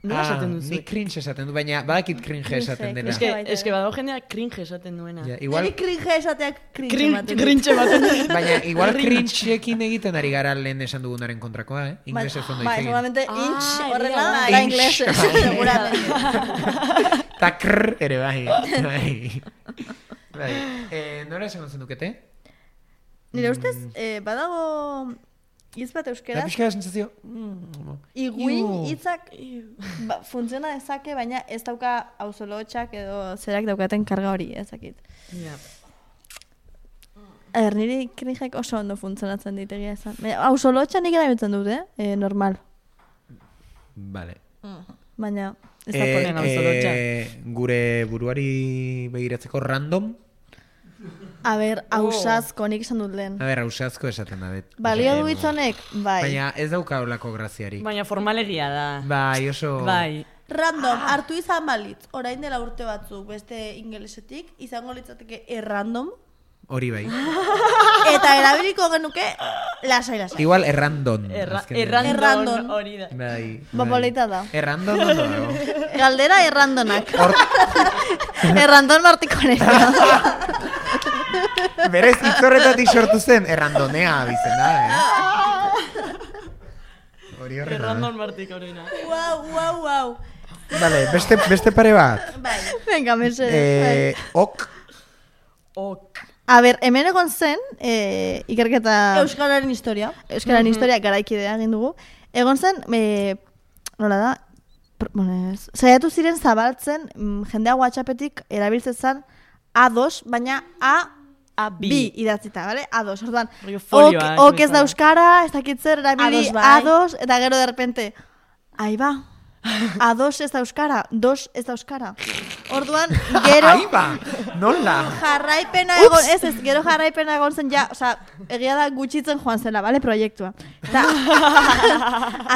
Nola esaten duzu? Ni cringe esaten du, baina badakit cringe esaten dena. Eske badago jendea cringe esaten duena. Igual cringe esateak cringe ematen. Cringe ematen. Baina igual cringeekin egiten ari gara lehen esan dugunaren kontrakoa, Inglesez ondo Bai, egiten. seguramente inch horrela, da da inglés, seguramente. Ta krr ere bai. Nora esan zenukete? Nire ustez, badago... Hitz bat euskeraz. Da pixka da sensazio. Iguin hitzak funtziona dezake, baina ez dauka auzolotxak edo zerak daukaten karga hori, ezakit. Niri cringeak oso ondo funtzionatzen ditegia esan. Auzolotxa nik erabiltzen dut, normal. Vale. Baina ez da ponen auzolotxa. Gure buruari begiratzeko random. A ber, ausazko, nik esan dut lehen. A ber, ausazko esaten da. Balio du hitzonek? Bai. Baina ez dauka olako graziari. Baina formalegia da. Bai, oso... Bai. Random, hartu izan balitz, orain dela urte batzuk beste ingelesetik, izango litzateke errandom. Hori bai. Eta erabiliko genuke lasai. Igual errandon. Errandon hori da. Bai. Bapolita da. Errandon ondo dago. Galdera errandonak. Errandon martikonek. Berez, itzorretatik sortu zen, errandonea bizena, Hori horrena. Errandon martikorena. Wow. Vale, beste pare bat. Bai. Venga, mesedez. Ok. A ber, hemen egon zen, ikerketa... Euskararen historia. Euskararen historia garaikidea egin dugu. Egon zen, nola da, saiatu ziren zabaltzen jendea WhatsAppetik erabiltzen A2, baina A2 idatzita, bale? A2, orduan, ok ez da euskara, ez dakitzer, erabili A2, eta gero de repente, ahí ba, A2 ez da euskara, 2 ez da euskara. Orduan, gero... Ahí ba, nola? Jarraipena egon, gero jarraipena egon zen, ja, oza, egia da gutxitzen joan zela, bale, proiektua. Eta,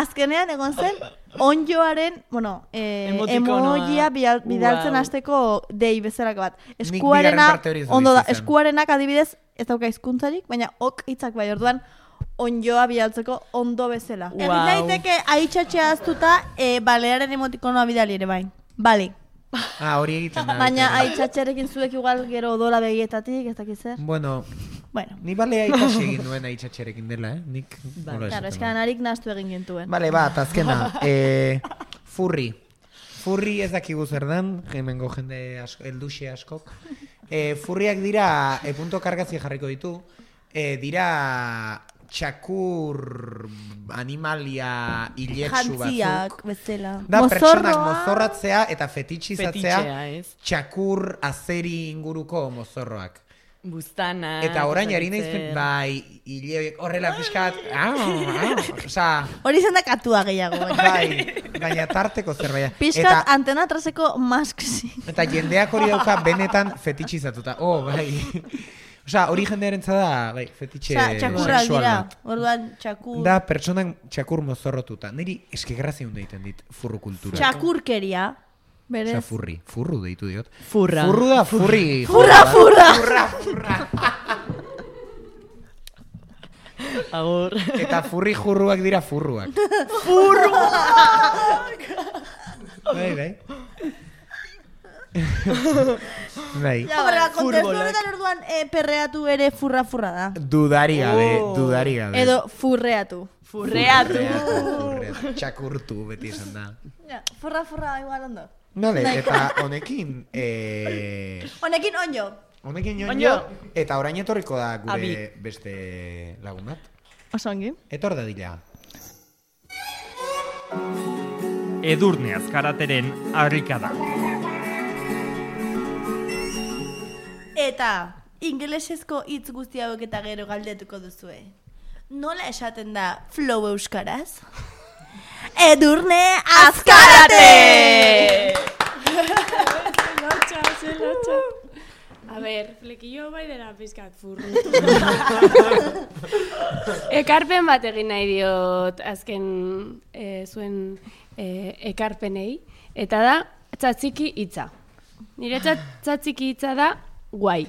azkenean egon zen, onjoaren, bueno, emojia bidaltzen hasteko dei bezalako bat. Eskuarena, ondo da, eskuarenak adibidez, ez dauka hizkuntzarik, baina ok hitzak bai, orduan, onjoa bidaltzeko ondo bezala. Egin daiteke aitxatxea aztuta, balearen emotikonoa bidali ere bai. Bale. Hori egiten da. Baina aitxatxerekin zuek igual gero odola begietatik, ez dakit zer. Bueno, ni balea ikasi egin duen aitxatxerekin dela, Nik... Claro, eskanarik naztu egin gintuen. Bale, bat, azkena. Furri. Furri ez dakigu zer dan, hemengo jende elduxe askok. Furriak dira, punto kargazi jarriko ditu, dira txakur animalia iletsu batzuk. Jantziak, bezala. Da, pertsonak mozorratzea eta fetitxizatzea txakur azeri inguruko mozorroak. Buztana. Eta orain ari naiz, bai, hile horrela pixkat, oza... Hori izan da katua gehiago. Bai, baina tarteko zerbait. Piskat antena atraseko masksi. Eta jendeak hori dauka benetan fetitxizatuta. Bai. Osa, hori jendearen zada, bai, fetitxe txakurrak sexual dira. bat. Orduan, txakur. Da, pertsonak txakur mozorrotuta. Niri eskegrazia hunda egiten dit furru kultura. Txakurkeria. Berez. Osa, furru deitu diot. Furra. Furru da, furri. Furra. Agur. Eta furri jurruak dira furruak. Bai. Bai. Ja, horrela, kontestu horretan orduan perreatu ere furra da. Dudari gabe. Edo furreatu. Txakurtu beti esan da. Ja, furra, igual ondo. Nole, eta honekin... Honekin onjo. Honekin onjo. Eta orain etorriko da gure beste lagun bat. Osongi. Etor da dila. Edurne azkarateren harrikada. Eta ingelesezko hitz guzti hauek eta gero galdetuko duzue. Nola esaten da flow euskaraz? Edurne azkarate! Zelotxa. A ber, flekillo bai dela pizkat furru. Ekarpen bat egin nahi diot azken zuen ekarpenei. Eta da, txatziki hitza. Nire txatziki hitza da guai.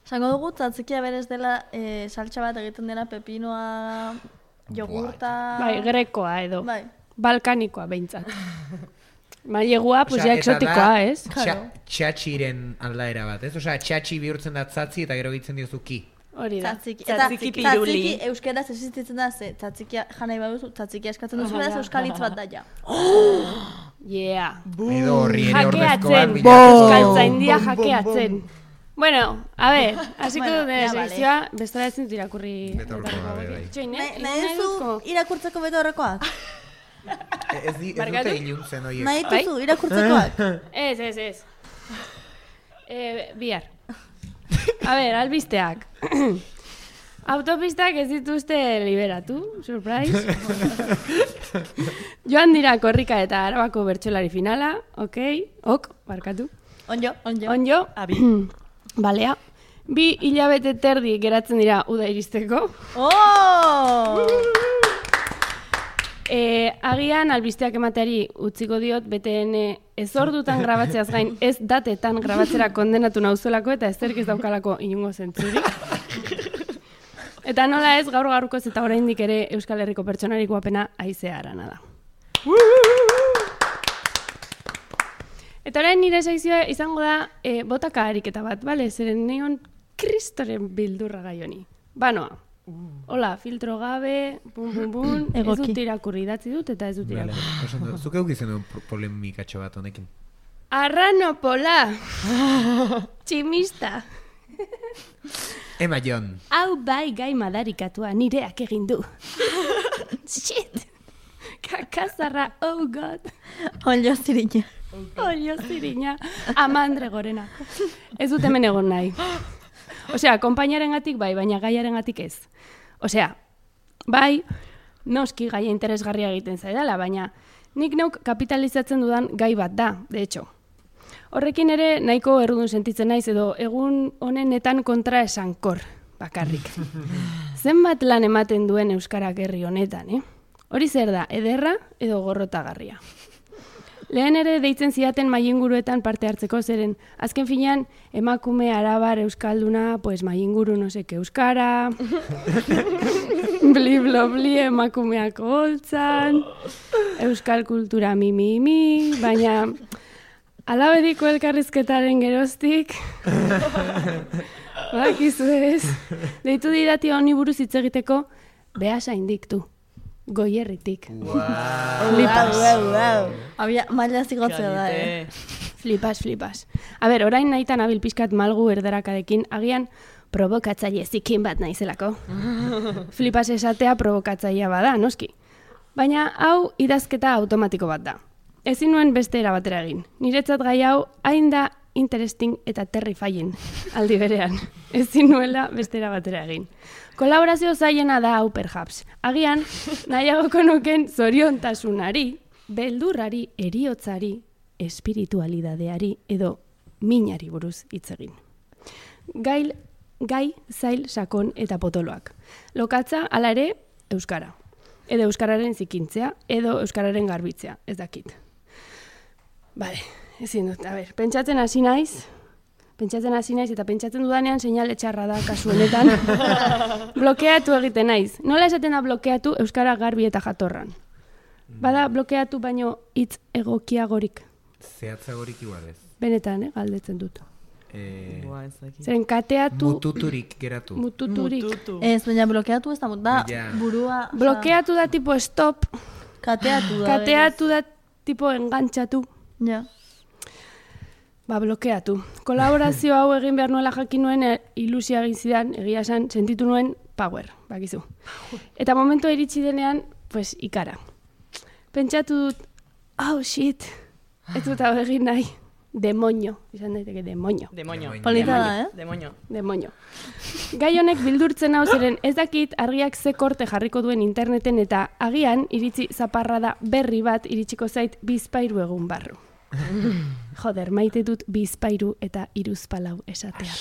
Zango dugu, tzatzikia berez dela saltsa bat egiten dena pepinoa, jogurta... Bai, grekoa edo. Bai. Balkanikoa behintzat. Mailegua, pues ya exotikoa, ez? Txatxiren aldaera bat, ez? Osea, txatxi bihurtzen da tzatzi eta gero gitzen diozu ki. Hori da. Tzatziki piruli. Tzatziki euskeraz existitzen da, ze tzatziki janai baduzu, tzatziki eskatzen duzu, beraz euskal hitz bat da ja. Yeah. Edo horri ere ordezko bat. Euskaltzaindia jakeatzen. Bueno, a ver, hasiko dut selekzioa, bestela ezin dut irakurri. Betorko gabe, bai. Nahi duzu irakurtzeko beto horrekoak? Ez dute iluntzen horiek. Nahi duzu irakurtzekoak? Ez. Bihar. A ver, albisteak. Autopistak ez dituzte liberatu, surprise. Joan dira korrika eta Arabako bertsolari finala, barkatu. Onjo. Abi. Balea. 2 hilabete terdi geratzen dira uda iristeko. Agian albisteak emateari utziko diot, beten ez ordutan grabatzeaz gain, ez datetan grabatzera kondenatu nauzuelako eta ezerk ez daukalako inungo zentzurik. Eta nola ez, gaur-gaurkoz eta oraindik ere Euskal Herriko pertsonarik guapena Aizea Arana da. Eta orain nire sekzioa izango da botaka ariketa bat, bale? Zeren neon kristoren bildurra gai honi. Banoa. Hola, filtro gabe, bum, ez dut irakurri, idatzi dut eta ez dut irakurri. Zuk eukizen duen polemikatxo bat honekin? Arranopola! Tximista! Ema Jon. Hau bai gai madarikatua nireak egin du. Shit! Kakazarra, oh god! Olio zirina. Amandre gorena. Ez dut hemen egon nahi. Osea, konpainaren gatik bai, baina gaiaren gatik ez. Osea, bai, noski gaia interesgarria egiten zaidala, baina nik neuk kapitalizatzen dudan gai bat da, de hecho. Horrekin ere nahiko errudun sentitzen naiz edo egun honenetan kontra esankor, bakarrik. Zenbat lan ematen duen euskarak herri honetan, Hori zer da, ederra edo gorrotagarria. Lehen ere deitzen zidaten mailinguruetan parte hartzeko zeren, azken finean emakume arabar euskalduna, pues mailinguru no seke euskara, bli emakumeak holtzan, euskal kultura mi, baina alabediko elkarrizketaren geroztik, bakizu ez, deitu didati honi buruz hitz egiteko, behasain diktu. Goierritik. Flipas. Abia, maila zigotzea da, Flipas. A ber, orain nahitan abil pixkat malgu erdarakadekin, agian provokatzaile zikin bat naizelako. Flipas esatea provokatzailea bada, noski. Baina hau idazketa automatiko bat da. Ezin nuen beste erabatera egin. Niretzat gai hau hain da interesting eta terrifying aldi berean. Ezin nuela bestera batera egin. Kolaborazio zailena da hau perhaps. Agian, nahiagoko nuken zoriontasunari, beldurrari, eriotzari, espiritualidadeari edo minari buruz hitz egin. Gai, zail, sakon eta potoloak. Lokatza, hala ere, euskara. Edo euskararen zikintzea, edo euskararen garbitzea, ez dakit. Bale, ezin dut, pentsatzen hasi naiz eta pentsatzen dudanean seinale txarra da kasu honetan. Blokeatu egiten naiz. Nola esaten da blokeatu euskara garbi eta jatorran? Bada blokeatu baino hitz egokiagorik. Zehatzagorik igual ez. Benetan, galdetzen dut. Zeren kateatu... Mututurik geratu. Mututurik. Ez, baina blokeatu ez da burua... Blokeatu da tipo stop. Kateatu da. Kateatu da tipo engantzatu. Ja. Blokeatu. Kolaborazio hau egin behar nuela jakin nuen ilusia egin zidan, egia esan, sentitu nuen power, bakizu. Eta momentu iritsi denean, pues, ikara. Pentsatu dut, oh shit, ez dut hau egin nahi. Demonio, izan daiteke demonio. Polita da, Demonio. Gai honek bildurtzen hau ziren ez dakit argiak ze korte jarriko duen interneten eta agian iritzi zaparrada berri bat iritsiko zait bizpairu egun barru. Joder, maite dut bizpairu eta iruzpalau esatea.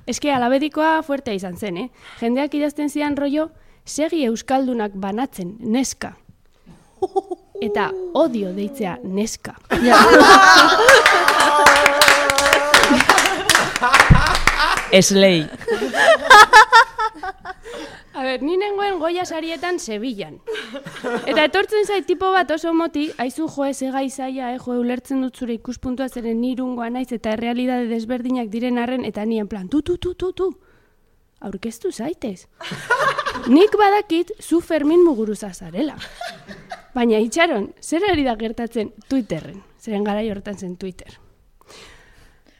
Eske alabedikoa fuertea izan zen, Jendeak idazten zidan rollo, segi euskaldunak banatzen, neska. Eta odio deitzea neska. Eslei. A ber, ni nengoen Goya sarietan Sevillan. Eta etortzen zait tipo bat oso moti, aizu joe segai zaia, ulertzen dut zure ikuspuntua zeren nirungoa naiz eta errealidade desberdinak diren arren eta nien plan, tu. Aurkeztu zaitez. Nik badakit zu Fermin Muguruza zarela. Baina itxaron, zer ari da gertatzen Twitterren? Zeren garai horretan zen Twitter.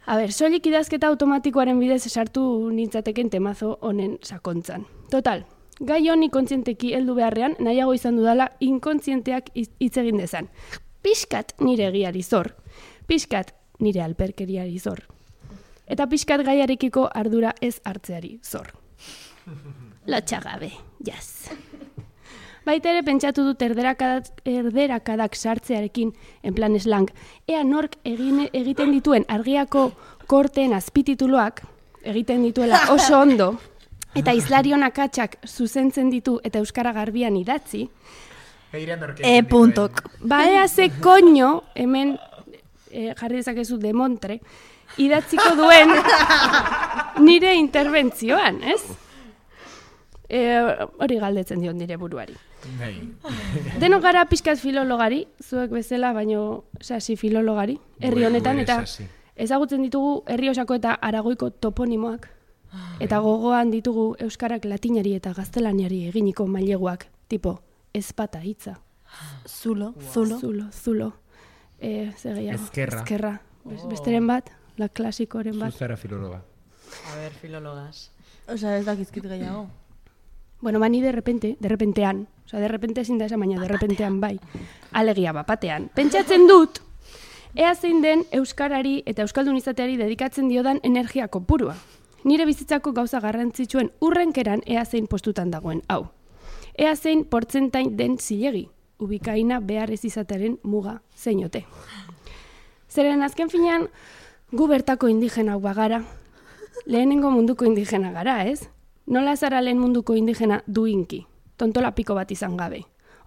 A ber, soilik idazketa automatikoaren bidez sartu nintzateken temazo honen sakontzan. Total, gai honi kontzienteki heldu beharrean, nahiago izan dudala inkontzienteak hitz egin dezan. Pixkat nire egiari zor, pixkat nire alperkeriari zor. Eta pixkat gaiarekiko ardura ez hartzeari zor. Lotxagabe, jaz. Baita ere pentsatu dut erderakadak sartzearekin, en plan slang, ea nork egiten dituen argiako korteen azpitituluak, egiten dituela oso ondo, eta Izlarion akatsak zuzentzen ditu eta euskara garbian idatzi, puntok. Ea ze koño, hemen jarri dezakezu demontre, idatziko duen nire interbentzioan, ez? Hori galdetzen dion nire buruari. Denok gara pixkat filologari, zuek bezala, baino sasi filologari, herri honetan, eta ezagutzen ditugu herri osako eta aragoiko toponimoak, eta gogoan ditugu euskarak latinari eta gaztelaniari eginiko maileguak, tipo ezpata hitza. Zulo. Ezkerra. Besteren bat, la klasikoren bat. Zuzara filologa. A ber, filologas. Osa, ez dakizkit gehiago. Bueno, ni de repentean, ezin da esan, baina de repentean bai, alegia bapatean. Pentsatzen dut, ea zein den euskarari eta euskaldun izateari dedikatzen diodan energia kopurua. Nire bizitzako gauza garrantzitsuen urrenkeran ea zein postutan dagoen hau. Ea zein portzentain den zilegi, ubikaina behar ez izatearen muga zeinote. Zeren azken finean, gu bertako indigena bagara, lehenengo munduko indigena gara, ez? Nola zara lehen munduko indigena duinki, tontola piko bat izan gabe.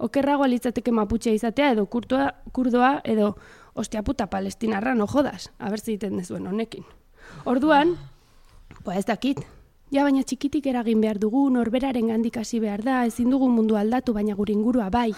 Okerragoa litzateke maputxea izatea edo kurdoa edo ostia puta palestinarra no jodas, abertzi egiten dezuen honekin. Orduan, ez dakit, ja baina txikitik eragin behar dugu, norberaren gandik hasi behar da, ezin dugu mundu aldatu, baina gure ingurua bai.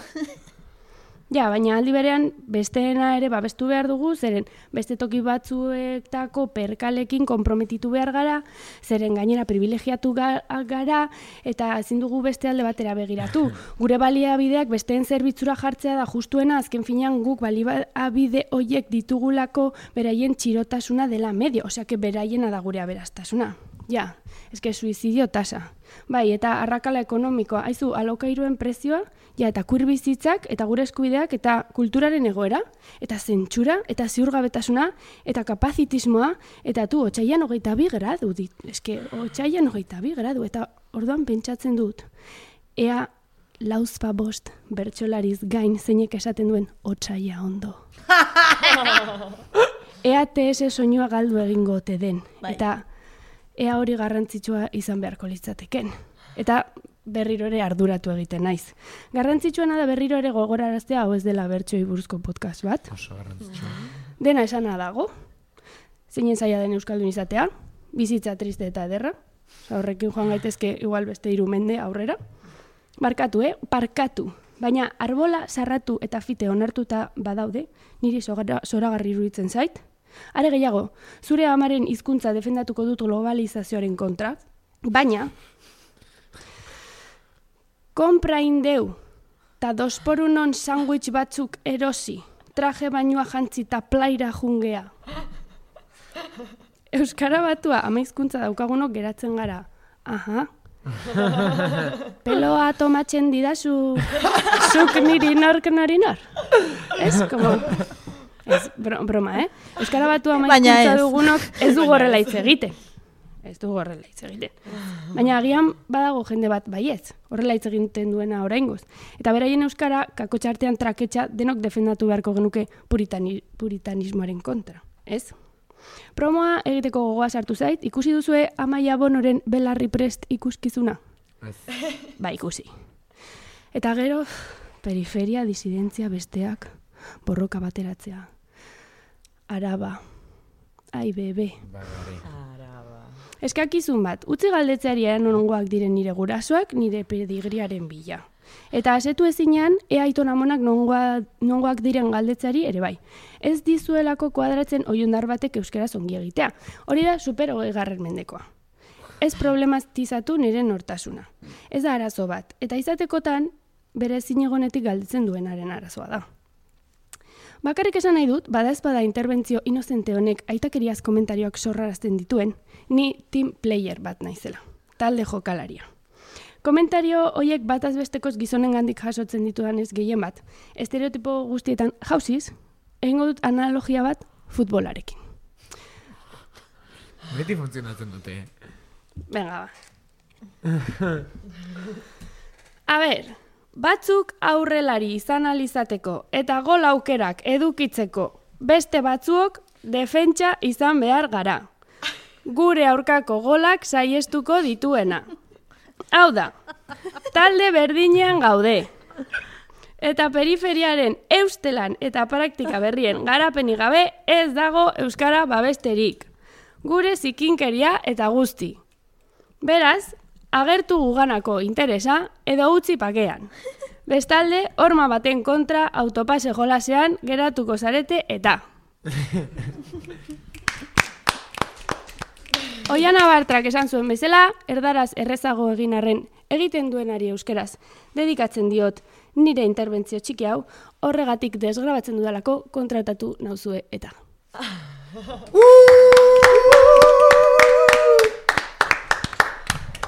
Ja, baina aldi berean besteena ere babestu behar dugu, zeren beste toki batzuetako perkalekin konprometitu behar gara, zeren gainera privilegiatu gara, eta ezin dugu beste alde batera begiratu. Gure baliabideak besteen zerbitzura jartzea da justuena, azken finean guk baliabide hoiek ditugulako beraien txirotasuna dela medio, oseake beraiena da gure aberastasuna. Ja, eske suizidio tasa. Bai, eta arrakala ekonomikoa, haizu alokairuen prezioa, ja, eta kurbizitzak, eta gure eskubideak, eta kulturaren egoera, eta zentsura, eta ziurgabetasuna, eta kapazitismoa, eta tu, otsailan 22 gradu dit. Eske, otsailan 22 gradu, eta orduan pentsatzen dut. Ea, 45 bertsolariz gain zeinek esaten duen otsaia ondo. Ea TS soinua galdu egingo ote den. Bai. Eta ea hori garrantzitsua izan beharko litzateken. Eta berriro ere arduratu egiten naiz. Garrantzitsuena da berriro ere gogoraraztea hau ez dela bertsoei buruzko podcast bat. Oso garrantzitsua. Dena esana dago. Zeinen zaila den euskaldun izatea, bizitza triste eta ederra. Horrekin joan gaitezke igual beste 3 mende aurrera. Barkatu, parkatu. Baina arbola sarratu eta fite onartuta badaude, niri zoragarri iruditzen zait. Are gehiago, zure amaren hizkuntza defendatuko dut globalizazioaren kontra, baina kompra indeu eta 2x1 sandwich batzuk erosi, traje bainua jantzi eta plaira jungea. Euskara batua ama hizkuntza daukagunok geratzen gara. Aha. Peloa tomatzen didazu zuk niri nork nori nor. Ez, como... Ez, broma, Euskara batua ama hizkuntza dugunok ez du horrela hitz egiten. Ez du horrela hitz egiten. Baina agian badago jende bat baietz, horrela hitz egiten duena oraingoz. Eta beraien euskara kakotxartean traketxa denok defendatu beharko genuke puritanismoaren kontra, ez? Promoa egiteko gogoa sartu zait, ikusi duzue Amaia Bonoren belarri prest ikuskizuna? Ez. Ba, ikusi. Eta gero, periferia, disidentzia besteak, borroka bateratzea. Araba. Ai, bebe. Eskakizun bat, utzi galdetzeari nongoak diren nire gurasoak, nire pedigriaren bila. Eta asetu ezinean, ea aiton amonak nongoak diren galdetzeari ere bai. Ez dizuelako kuadratzen oiondar batek euskaraz ongi egitea. Hori da super 20. mendekoa. Ez problematizatu nire nortasuna. Ez da arazo bat, eta izatekotan bere zinegonetik galdetzen duenaren arazoa da. Bakarrik esan nahi dut, badaezpada interbentzio inozente honek aitakeriaz komentarioak sorrarazten dituen, ni team player bat naizela, talde jokalaria. Komentario hoiek bataz bestekoz gizonengandik jasotzen ditudanez gehien bat. Estereotipo guztietan jauziz, egingo dut analogia bat futbolarekin. Beti funtzionatzen dute. Venga, ba. A ber, batzuk aurrelari izan alizateko eta gol aukerak edukitzeko beste batzuok defentsa izan behar gara. Gure aurkako golak saiestuko dituena. Hau da, talde berdinean gaude. Eta periferiaren eustelan eta praktika berrien garapenik gabe ez dago euskara babesterik. Gure zikinkeria eta guzti. Beraz, agertu guganako interesa edo utzi pakean. Bestalde, horma baten kontra autopase jolasean geratuko zarete eta. Oiana Bartrak esan zuen bezala, erdaraz errezago egin arren egiten duenari euskeraz. Dedikatzen diot nire interbentzio txiki hau, horregatik desgrabatzen dudalako kontratatu nauzue eta.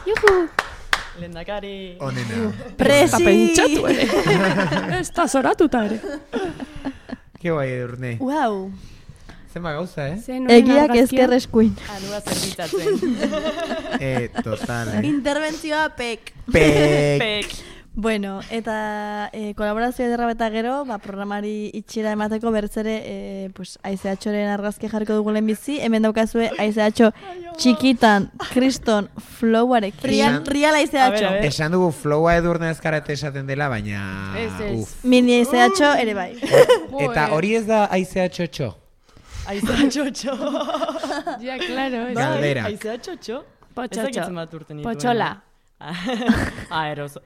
Juhu! Lehendakari! Onena. Presi! Pentsatu ere. Ez da zoratuta ere. Ke guai edurne. Wow. Zenba gauza, Egiak ezker eskuin. Anua zerbitzatzen. Total, Interbentzioa pek. Pek. Bueno, eta kolaborazio ederra eta gero, programari itxira emateko bertzere, pues, AICH-oren argazki jarriko dugu lehenbizi, hemen daukazue AICH txikitan, kriston, flowarekin. Real AICH. Esan dugu flowa edurne ezkarate esaten dela, baina... Mini AICH ere bai. Eta hori ez da AICH-otxo? AICH-otxo. Ja, claro. Galderak. AICH-otxo? Potxotxo. Potxola.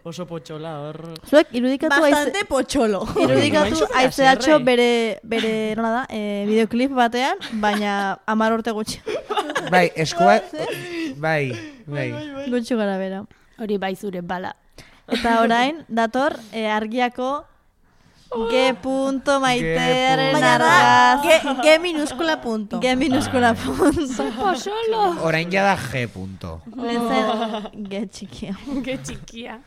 Oso potxola hor... Zuek irudikatu Bastante potxolo. Irudikatu AICH bere nola da, videoclip batean, baina 10 urte gutxi. Bai, eskua... Bai. Gutxi gara bera. Hori bai zure bala. Eta orain, dator, argiako G punto maitearen Baina da, argaz. G minuskula punto. G minuskula punto. Solo. Orain jada G punto. Lezen G txikia. Qué chiquia.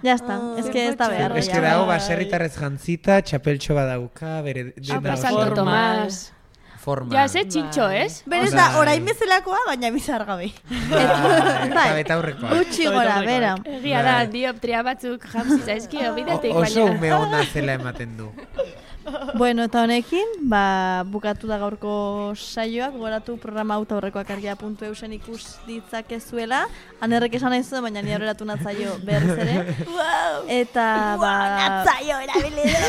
Ya está, es que ez da behar. Ez que dago baserritarrez jantzita, txapeltxo badauka, bere... Apa Santo Tomás. Forma. Ja, ze txintxo, ez? Berez da, orain bezalakoa, baina bizar gabe. Eta betaurrekoa. Gutxi gora, bera. Egia da, dioptria batzuk jamsi zaizkio bidetik, Oso baina... ume ona zela ematen du. Bueno, eta honekin, bukatu da gaurko saioak, goratu programa auto aurrekoak argia.eusen ikus ditzakezuela. Anerrek esan nahi zuen, baina ni aurreratu natzaio berriz ere. Wow. Eta, Natzaio erabili da.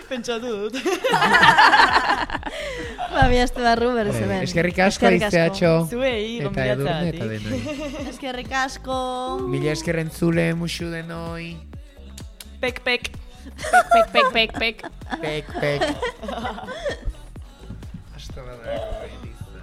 Pentsatu dut. Biazte barru berriz hemen. Eskerrik asko aizeatxo. Zuei, Eta Edurne eta gonbidatzeagatik. denoi. Eskerrik asko. Mila eskerren zule musu denoi. Pek, pek. Pek, pek, pek, pek. Pek, pek. Hasta badago, Elisa.